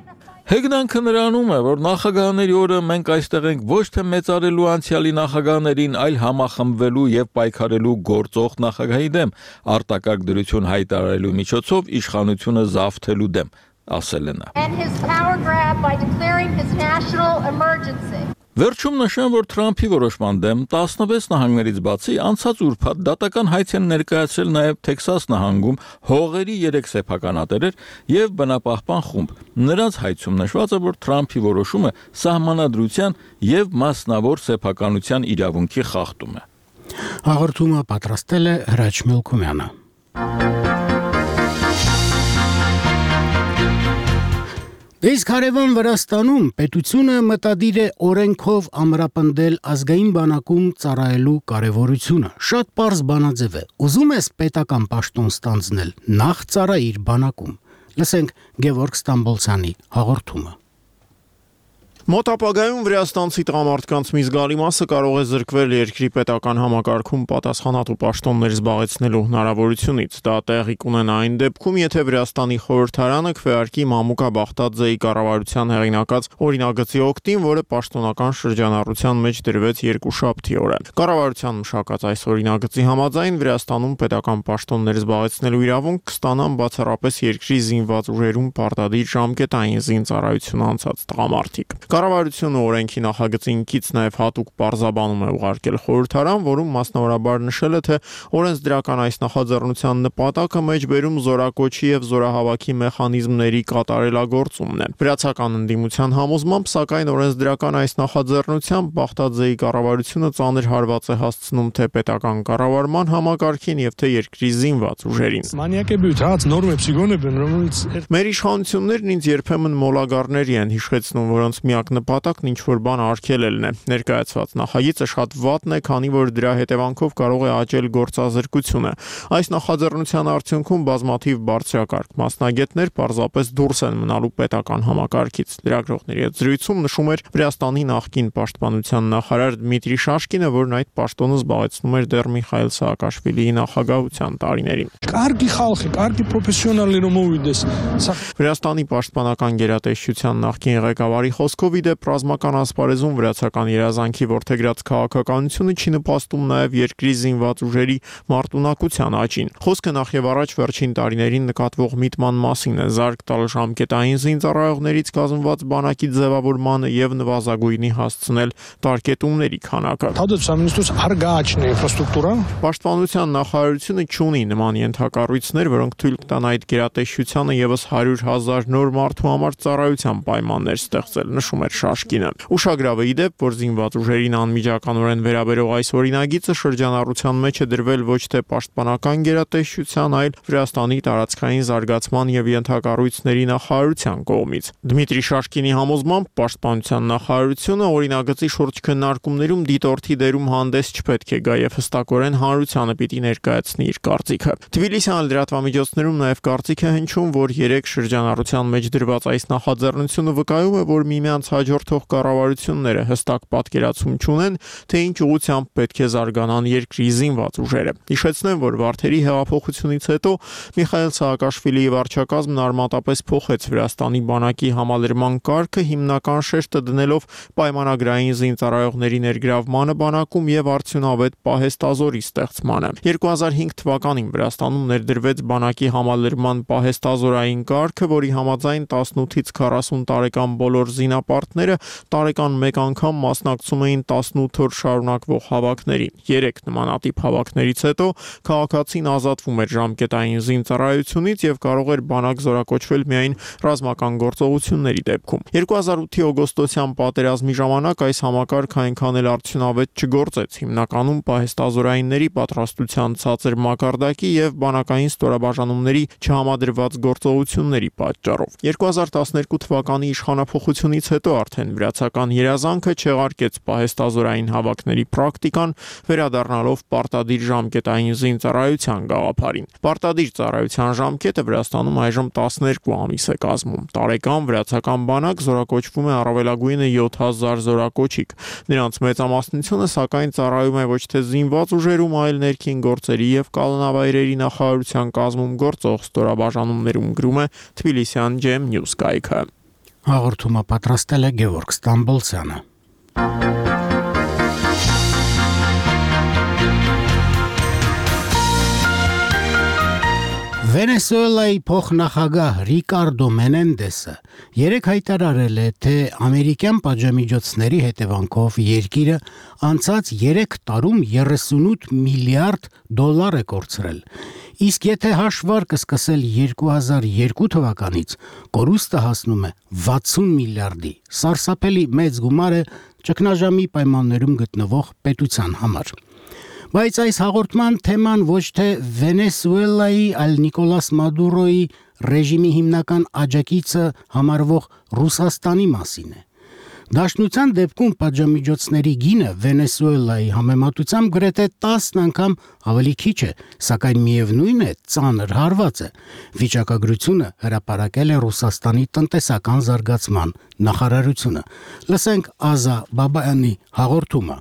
Հեգնանքը նրանում է, որ նախագահների օրը մենք այստեղ ենք ոչ թե մեծարելու անցյալի նախագահներին, այլ համախմբվելու եւ պայքարելու գործող նախագահի դեմ, արտակարգ դրություն հայտարարելու միջոցով իշխանությունը զավթելու դեմ, ասել է նա։ And his power grab by declaring his national emergency. Վերջում նշեմ, որ Թրամփի որոշման դեմ տասնվեց նահանգներից բացի անցած ուրբաթ դատական հայց են ներկայացրել նաև Թեքսաս նահանգում հողերի երեք սեփականատերեր եւ բնապահպան խումբ։ Նրանց հայցում նշված է, որ Թրամփի որոշումը սահմանադրության եւ մասնավոր սեփականության իրավունքի խախտում է։ Հաղորդումը պատրաստել է Հրաչ Մելքումյանը։ Իսկ հարևան Վրաստանում պետությունը մտադիր է օրենքով ամրապնդել ազգային բանակում ծառայելու կարևորությունը։ Շատ պարզ բանաձև է։ Ուզում ես պետական պաշտոն ստանձնել, նախ ծառայիր բանակում։ Լսենք Գևորգ Ստամբոլցյանի հաղորդումը։ Մոտ ապագայում վրաստանցի տղամարդկանց մի զգալի մասը կարող է զրկվել երկրի պետական համակարգում պատասխանատու պաշտոններ զբաղեցնելու հնարավորությունից։ Դա տեղի կունենա այն դեպքում, եթե Վրաստանի խորհրդարանը քվեարկի Մամուկա Բախտաձեի կառավարության հեղինակած օրինագծի օգտին, որը պաշտոնական շրջանառության մեջ դրվեց երկուշաբթի օրը։ Կառավարության մշակած այս օրինագծի համաձայն Վրաստանում պետական պաշտոններ զբաղեցնելու իրավունք կստանան բացառապես երկրի զինված ուժերում պարտադիր ժամկետային զինծառայություն անցած տղամարդիկ։ Կառավարությունը օրենքի նախագծին կից նաև հատուկ պարզաբանում է ուղարկել խորհրդարան, որում մասնավորաբար նշել է, թե օրենսդրական այս նախաձեռնության նպատակը մեջբերում զորակոչի եւ զորահավաքի մեխանիզմների կատարելագործումն է։ Վրացական ընդդիմության համոզմամբ, սակայն օրենսդրական այս նախաձեռնությամբ Բախտաձեի կառավարությունը ծանր հարված է հասցնում թե պետական կառավարման համակարգին եւ թե երկրի զինված ուժերին։ Մեր իշխանություններն ինձ երբեմն մոլագարների են հիշեցնում, որոնց միակ նպատակն ինչ-որ բան արգելելն է։ Ներկայացված նախագիծը շատ վատն է, քանի որ դրա հետևանքով կարող է աճել գործազրկությունը։ Այս նախաձեռնության արդյունքում բազմաթիվ բարձրակարգ մասնագետներ պարզապես դուրս են մնալու պետական համակարգից։ Լրագրողների հետ զրույցում նշում էր Վրաստանի նախկին պաշտպանության նախարար Դմիտրի Շաշկինը, որն այդ պաշտոնը զբաղեցնում էր դեռ Միխայիլ Սաակաշվիլիի նախագահության տարիներին։ Կարգի խալխի, կարգի պրոֆեսիոնալներով մովիդես։ Վրաստանի պաշտպանական գերատեսչության նախկին ղեկավարի խոսքով իդեպ ռազմական ասպարեզում վրացական երազանքի որդեգրած քաղաքականությունը չի նպաստում նաև երկրի զինված ուժերի մարտունակության աճին։ Խոսքը նախ եւ առաջ վերջին տարիներին նկատվող միտման մասին է, զարգ տալ ժամկետային զինծառայողներից կազմված բանակի ձևավորմանը եւ նվազագույնի հասցնել տարկետումների քանակը։ Պաշտպանության նախարարությունը չունի նման ենթակառույցներ, որոնք թույլ կտան այդ գերատեսչությանը եւս հարյուր հազար նոր մարդու համար ծառայության պայմաններ ստեղծել, նշում է էր Շաշկինը։ Ուշագրավ է ի դեպ, որ զինված ուժերին անմիջականորեն վերաբերող այս օրինագիծը շրջանառության մեջ է դրվել ոչ թե պաշտպանական գերատեսչության, այլ Վրաստանի տարածքային զարգացման եւ ենթակառույցների նախարարության կողմից։ Դմիտրի Շաշկինի համոզմամբ պաշտպանության նախարարությունը օրինագծի շուրջ քննարկումներում դիտորդի դերում հանդես չպետք է գա եւ հստակորեն հանրությանը պիտի ներկայացնի իր կարծիքը։ Թբիլիսյան լրատվամիջոցներում նաեւ կարծիք է հնչում, որ երեք շրջանառության մեջ դրված այս նախաձեռնությունը վկայում է, որ միմյանց հաջորդող կառավարությունները հստակ պատկերացում չունեն, թե ինչ ուղղությամբ պետք է զարգանան երկրի զինված ուժերը։ Հիշեցնեմ, որ Վարդերի հեղափոխությունից հետո Միխայել Սահակաշվիլիի վարչակազմն արմատապես փոխեց Վրաստանի բանակի համալրման կարգը, հիմնական շեշտը դնելով պայմանագրային զինծառայողների ներգրավմանը բանակում եւ արդյունավետ պահեստազորի ստեղծմանը։ երկու հազար հինգ թվականին Վրաստանում ներդրվեց բանակի համալրման պահեստազորային կարգը, որի համաձայն տասնութից քառասուն տարեկան բոլոր զինապարտները տարեկան մեկ անգամ մասնակցում էին տասնութ օր շարունակվող հավաքներին։ Երեք նմանատիպ հավաքներից հետո քաղաքացին ազատվում էր ժամկետային զինծառայությունից եւ կարող էր բանակ զորակոչվել միայն ռազմական գործողությունների դեպքում։ երկու հազար ութի օգոստոսյան պատերազմի ժամանակ այս համակարգը այնքան էլ արդյունավետ չգործեց, հիմնականում պահեստազորայինների պատրաստության ցածր մակարդակի եւ բանակային ստորաբաժանումների չհամադրված գործողությունների պատճառով։ երկու հազար տասներկու թվականի իշխանափոխությունից հետո արդեն վրացական երազանքը չեղարկեց պահեստազորային հավաքների պրակտիկան, վերադառնալով պարտադիր ժամկետային զինծառայության գաղափարին։ Պարտադիր ծառայության ժամկետը Վրաստանում այժմ տասներկու ամիս է կազմում։ Տարեկան վրացական բանակ զորակոչվում է առավելագույնը յոթ հազար զորակոչիկ։ Նրանց մեծամասնությունը սակայն ծառայում է ոչ թե զինված ուժերում, այլ ներքին գործերի եւ կալանավայրերի նախարարության կազմում գործող ստորաբաժանումներում, գրում է Թբիլիսյան Ջեմ Նյուզ կայքը։ Հաղորդումը պատրաստել է Գևորգ Ստամբոլցյանը։ Վենեսուելայի փոխնախագահ Ռիկարդո Մենենդեսը երեկ հայտարարել է, թե ամերիկյան պատժամիջոցների հետևանքով երկիրը անցած երեք տարում երեսունութ միլիարդ դոլար է կորցրել։ Իսկ եթե հաշվարկը սկսել երկու հազար երկու թվականից, կորուստը հասնում է վաթսուն միլիարդի։ Սարսափելի մեծ գումար է ճգնաժամի պայմաններում գտնվող պետության համար։ Բայց այս հաղորդման թեման ոչ թե Վենեսուելայի, այլ Նիկոլաս Մադուրոյի ռեժիմի հիմնական աջակիցը համարվող Ռուսաստանի մասին է։ Դաշնության դեպքում պատժամիջոցների գինը Վենեսուելայի համեմատությամբ գրեթե տասն անգամ ավելի քիչ է, սակայն միևնույն է, ծանր հարված է։ Վիճակագրությունը հրապարակել է Ռուսաստանի տնտեսական զարգացման նախարարությունը։ Լսենք Ազա Բաբայանի հաղորդումը։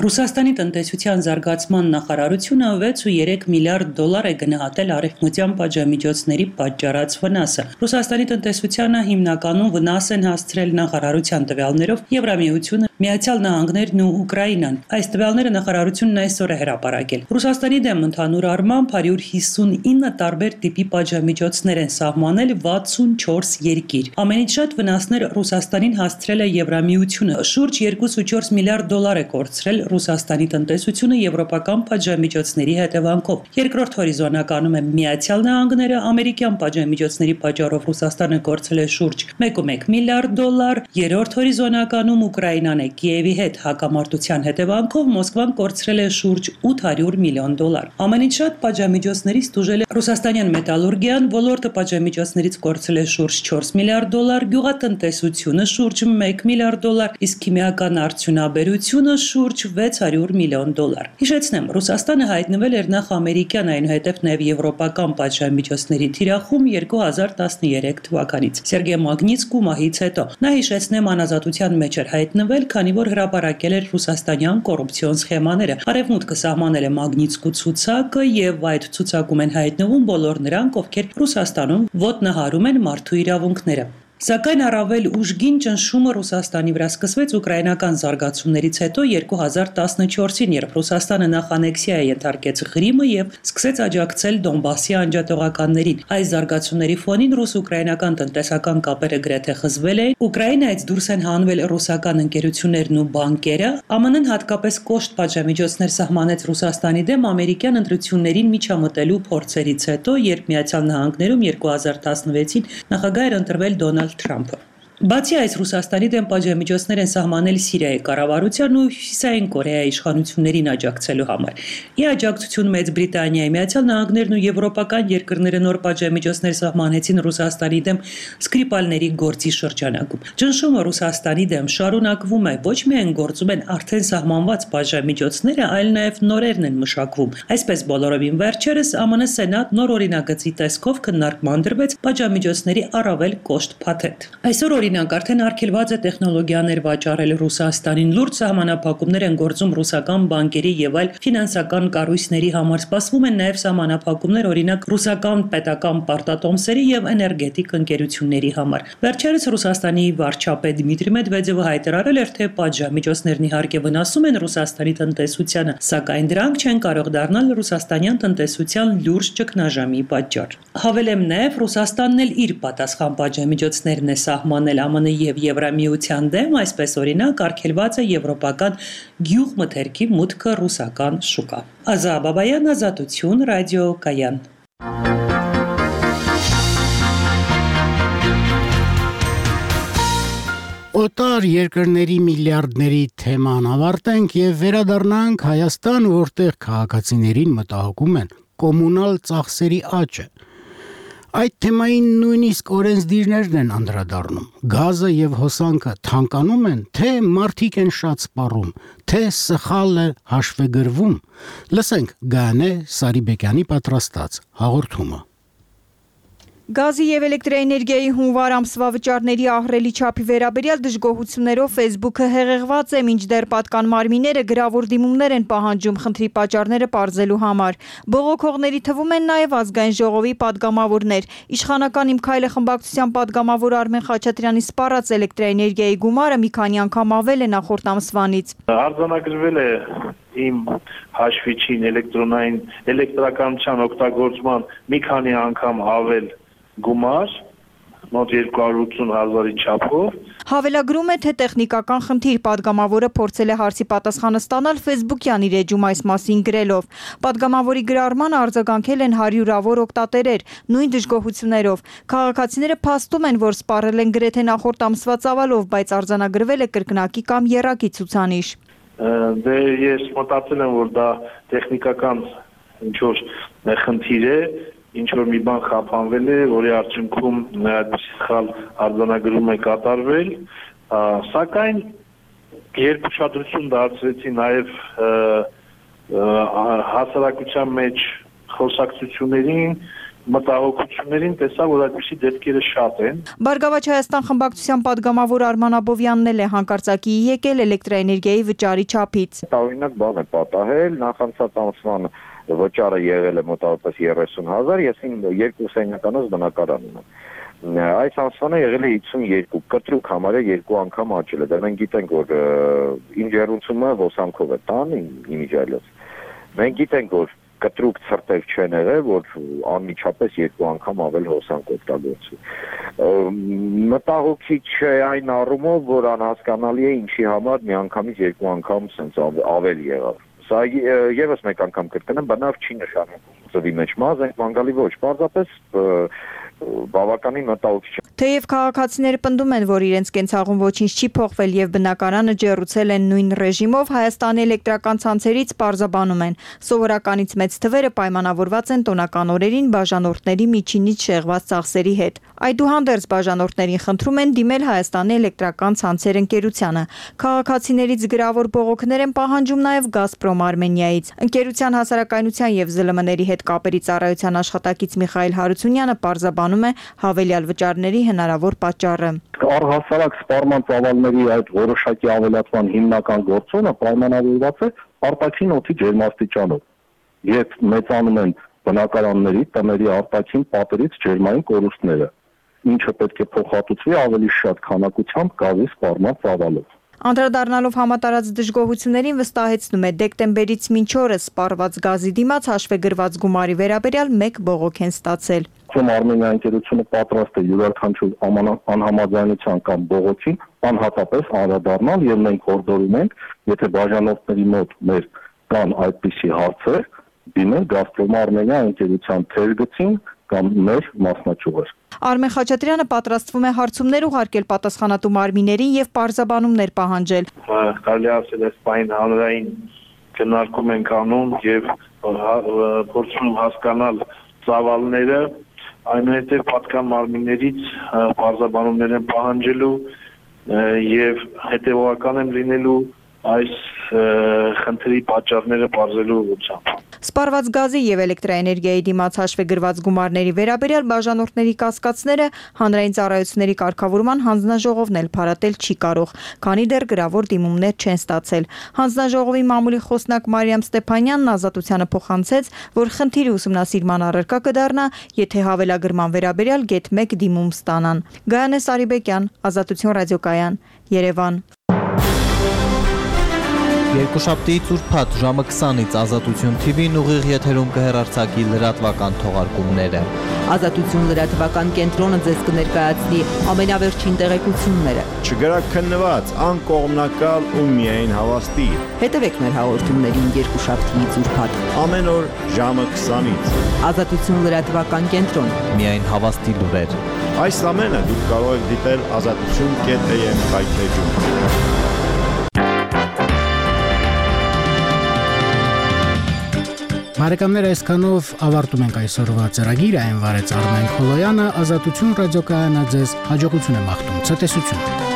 Ռուսաստանի տնտեսության զարգացման նախարարությունը վեց ու երեք միլիարդ դոլար է գնահատել արևմտյան պատժամիջոցների պատճառած վնասը։ Ռուսաստանի տնտեսությանը հիմնականում վնաս են հասցրել նախարարության տվյալներով Եվրամիությունը, Միացյալ Նահանգներն ու Ուկրաինան։ Այս տվյալները նախարարությունն այսօր է հրապարակել։ Ռուսաստանի դեմ ընդհանուր առմամբ հարյուր հիսունինը տարբեր տիպի պատժամիջոցներ են սահմանել վաթսունչորս երկիր։ Ամենից շատ վնասներ Ռուսաստանին հասցրել է Եվրամիությունը, շուրջ երկուսուչորս միլիարդ դոլար է կորցրել Ռուսաստանի տնտեսությունը եվրոպական պատժամիջոցների հետևանքով։ Երկրորդ հորիզոնականում է Միացյալ Նահանգները, ամերիկյան պատժամիջոցների պատճառով Ռուսաստանը կորցրել է շուրջ մեկ կόμ մեկ միլիարդ դոլար, երրորդ հորիզոնականում Ուկրաինան է Կիևի հետ հակամարտության հետևանքով Մոսկվան կորցրել է շուրջ ութ հարյուր միլիոն դոլար։ Ամենից շատ պատժամիջոցներից տուժել է ռուսաստանյան մետալուրգիան, ոլորտը պատժամիջոցներից կորցրել է շուրջ չորս միլիարդ դոլար, գյուղատնտեսությունը շուրջ մեկ միլիարդ դոլար, իսկ քիմիական արդյունաբերությունը շուրջ վեց հարյուր միլիոն դոլար։ Հիշեցնեմ, Ռուսաստանը հայտնվել էր նախ ամերիկյան, այնուհետև նաև եվրոպական պատժամիջոցների թիրախում երկու հազար տասներեք թվականից Սերգեյ Մագնիտսկու մահից հետո։ Նա հիշեցնեմ անազատության մեջ էր հայտնվել, քանի որ հրապարակել էր ռուսաստանյան կոռուպցիոն սխեմաները։ Արևմուտքը սահմանել է Մագնիտսկու ցուցակը եւ այդ ցուցակում են հայտնվում բոլոր նրանք, ովքեր Ռուսաստանում ոտնահարում են մարդու իրավունքները։ Սակայն առավել ուժգին ճնշումը Ռուսաստանի վրա սկսվեց ուկրաինական զարգացումներից հետո երկու հազար տասնչորսին, երբ Ռուսաստանը նախ անեքսիա ենթարկեց Ղրիմը եւ սկսեց աջակցել Դոնբասի անջատողականներին։ Այս զարգացումների ֆոնին ռուս-ուկրաինական տնտեսական կապերը գրեթե խզվել էին, Ուկրաինայից դուրս են հանվել ռուսական ընկերություններն ու բանկերը, ԱՄՆ-ն հատկապես կոշտ պատժամիջոցներ սահմանեց Ռուսաստանի դեմ ամերիկյան ընտրություններին միջամտելու փորձերից հետո, երբ Միացյալ Նահանգներում երկու հազար տասնվեցին նախագահ էր ընտրվել Դոնալդ Թրամփը։ Բացի այս, Ռուսաստանի դեմ պատժամիջոցներ են սահմանել Սիրիայի կառավարության ու Հյուսիսային Կորեայի իշխանություններին աջակցելու համար։ Ի աջակցություն Մեծ Բրիտանիայի, Միացյալ Նահանգներն ու եվրոպական երկրները նոր պատժամիջոցներ սահմանեցին Ռուսաստանի դեմ Սկրիպալների գործի շրջանակում։ Ճնշումը Ռուսաստանի դեմ շարունակվում է, ոչ միայն գործում են արդեն սահմանված պատժամիջոցները, այլ նաև նորերն են մշակվում։ Այսպես բոլորովին վերջերս ԱՄՆ Սենատ նոր օրինագծի տեսքով քննարկման դրվեց պատժամիջոցների առավել կոշտ փաթեթ։ Այսօր օրինակ արդեն արգելված է տեխնոլոգիաներ վաճառել Ռուսաստանին, լուրջ սահմանափակումներ են գործում ռուսական բանկերի եւ այլ ֆինանսական կառույցների համար, սպասվում են նաև սահմանափակումներ օրինակ ռուսական պետական պարտատոմսերի եւ էներգետիկ ընկերությունների համար։ Վերջերս Ռուսաստանի վարչապետ Դմիտրի Մեդվեդևը հայտարարել էր, թե պատժամիջոցներն իհարկե վնասում են Ռուսաստանի տնտեսությանը, սակայն դրանք չեն կարող դառնալ ռուսաստանյան տնտեսության լուրջ ճգնաժամի պատճառ։ Հավելեմ նաև, Ռուսաստանն էլ իր պատասխան պատժամիջոցներն է սահմանել ԱՄՆ եւ Եվրամիության դեմ, այսպես օրինակ արգելված է եվրոպական գյուղմթերքի մուտքը ռուսական շուկա։ Ազա Բաբայան, Ազատություն, Ռադիո Կայան։ Օտար երկրների միլիարդների թեման ավարտենք եւ վերադառնանք Հայաստան, որտեղ քաղաքացիներին մտահոգում են կոմունալ ծախսերի աճը։ Այդ թեմային նույնիսկ օրենսդիրներն են անդրադառնում։ Գազը եւ հոսանքը թանկանում են, թե մարդիկ են շատ սպառում, թե սխալը հաշվեգրվում։ Լսենք Գանե Սարիբեկյանի պատրաստած հաղորդումը։ Գազի եւ էլեկտրաէներգիայի հունվար ամսվա վճարների ահռելի չափի վերաբերյալ դժգոհություններով Facebook-ը հեղեղված է, մինչդեռ պատկան մարմինները գրավոր դիմումներ են պահանջում խնդրի պատճառները պարզելու համար։ Բողոքողների թվում են նաեւ ազգային ժողովի падգամավորներ։ Իշխանական Իմ քայլը խմբակցության падգամավոր Արմեն Խաչատրյանի սպառած էլեկտրաէներգիայի գումարը մի քանի անգամ ավել է նախորդ ամսվանից։ Արձանագրվել է իմ հաշվիչին էլեկտրոնային էլեկտրականության օգտագործման մի քանի անգամ ավել գումար, մոտ երկու հարյուր ութսուն հազարի չափով։ Հավելագրում է, թե տեխնիկական խնդիր падգամավորը փորձել է հարցի պատասխանը ստանալ Facebook-յան իր էջում այս մասին գրելով։ Падգամավորի գրառմանը արձագանքել են հարյուրավոր օգտատերեր, նույն դժգոհություններով։ Քաղաքացիները փաստում են, որ սպառել են գրեթե նախորդ ամսվա ծավալով, բայց արձանագրվել է կրկնակի կամ եռակի ցուցանիշ։ Դե ես մտածել եմ, որ դա տեխնիկական ինչ-որ խնդիր է, ինչ-որ մի բան խափանվել է, որի արդյունքում այդպիսի սխալ արձանագրում է կատարվել, սակայն երբ ուշադրություն դարձրեցի նաև հասարակության մեջ խոսակցություններին, մտահոգություններին, տեսա, որ այդպիսի դեպքերը շատ են։ Բարգավաճ Հայաստան խմբակցության падգամավոր Արման Աբովյանն էլ է հանկարծակի եկել էլեկտրաէներգիայի վճարի չափից։ Տարօրինակ բան է պատահել, նախանցած ամսվան վճարը եղել է մոտավորապես երեսուն հազար, ես իմ երկու սենյականոց բնակարան ունեմ։ Այս ամսվանը եղել է հիսունյոթ, կտրուկ համարը երկու անգամ աճել է։ Դա մենք գիտենք, որ իմ ջեռուցումը հոսանքով է տան, իմիջիայլոց։ Մենք գիտենք, որ կտրուկ ցրտեր չեն եղել, որ անմիջապես երկու անգամ ավել հոսանք օգտագործվի։ Մտահոգիչ չէ այն առումով, որ անհասկանալի է ինչի համար միանգամից երկու անգամ սենց ավել եղավ։ Սա եւս մեկ անգամ կրկնեմ, բնավ չի նշանակում ծովի մեջ մազ ենք մանգալի ոչ, պարզապես բավականին մտահոգիչ է։ Թեև քաղաքացիները պնդում են, որ իրենց կենցաղում ոչինչ չի փոխվել եւ բնակարանը ջեռուցել են նույն ռեժիմով, Հայաստանի էլեկտրական ցանցերից պարզաբանում են։ Սովորականից մեծ թվերը պայմանավորված են տոնական օրերին բաժանորդների միջինից շեղված ծախսերի հետ։ Այդուհանդերձ բաժանորդներին խնդրում են դիմել Հայաստանի էլեկտրական ցանցեր ընկերությանը։ Քաղաքացիներից գրավոր բողոքներ են պահանջում նաեւ Գազպրոմ Արմենիայից։ Ընկերության հասարակայնության եւ զլ m-ների հետ կապերի ծառայության աշխատակից Միխայել Հարությունյանը պարզաբանում է հավելյալ վճարների հնարավոր պատճառը։ Առհասարակ սպառման ծավալների այդ որոշակի ավելացման հիմնական գործոնը պայմանավորված է արտաքին օդի ջերմաստիճանով։ Երբ մեծանում են բնակարանների, տների արտաքին պատերից ջերմային կորուստները, ինչը պետք է փոխհատուցվի ավելի շատ քանակությամբ գազի սպառման ծավալով։ Անդրադառնալով համատարած դժգոհություններին վստահեցնում է դեկտեմբերից մինչ օրս սպառված գազի դիմաց հաշվեգրված գումարի վերաբերյալ մեկ բողոք են ստացել։ Արմենիա ընկերությունը պատրաստ է յուրաքանչյուր անհամաձայնության կամ բողոքին անհատապես անդրադառնալ եւ մենք հորդորում ենք, եթե բաժանորդների մոտ մեր կան այդպիսի հարցեր, դիմել Գազպրոմ Արմենիա ընկերության թերգծին կամ մեր մասնաճյուղեր։ Արմեն Խաչատրյանը պատրաստվում է հարցումներ ուղարկել պատասխանատու մարմիններին եւ պարզաբանումներ պահանջել։ Կարելի ասել է սպայն հանրային քննարկում ենք անում եւ փորձում հասկանալ ծավալները, այնուհետև պատկան մարմիններից պարզաբանումներ են պահանջելու եւ հետեւողական են լինելու այս խնդրի պատճառները բարձելու ուղղությամբ։ Սպառված գազի եւ էլեկտրաէներգիայի դիմաց հաշվի գրված գումարների վերաբերյալ բաժանորդների կասկածները հանրային ծառայությունների կարգավորման հանձնաժողովն էլ փարատել չի կարող, քանի դեռ գրավոր դիմումներ չեն ստացել։ Հանձնաժողովի մամուլի խոսնակ Մարիամ Ստեփանյանն Ազատությանը փոխանցեց, որ խնդիրը ուսումնասիրման առարկա կդառնա, եթե հավելագրման վերաբերյալ գեթ մեկ դիմում ստանան։ Գայանե Սարիբեկյան, Ազատություն ռադիոկայան, Երևան։ Երկուշաբթի ծուրփաթ ժամը քսանից Ազատություն Թի Վին ուղիղ եթերում կհեռարձակի լրատվական թողարկումները։ Ազատություն լրատվական կենտրոնը ձեզ կներկայացնի ամենավերջին տեղեկությունները։ Չգրակ քննված, անկողմնակալ ու միայն հավաստի։ Հետևեք մեր հաղորդումներին երկուշաբթի ծուրփաթ ամեն օր ժամը քսանից։ Ազատություն լրատվական կենտրոն, միայն հավաստի լուրեր։ Այս ամենը դուք կարող եք դիտել ազատություն կետ էյ էմ հայթեջում։ Բարեկամներ, այսքանով ավարտում ենք այսօրվա ծրագիրը, այն վարեց Արմեն Քոլոյանը, Ազատություն ռադիոկայանը ձեզ հաջողություն է մաղթում, ցտեսություն։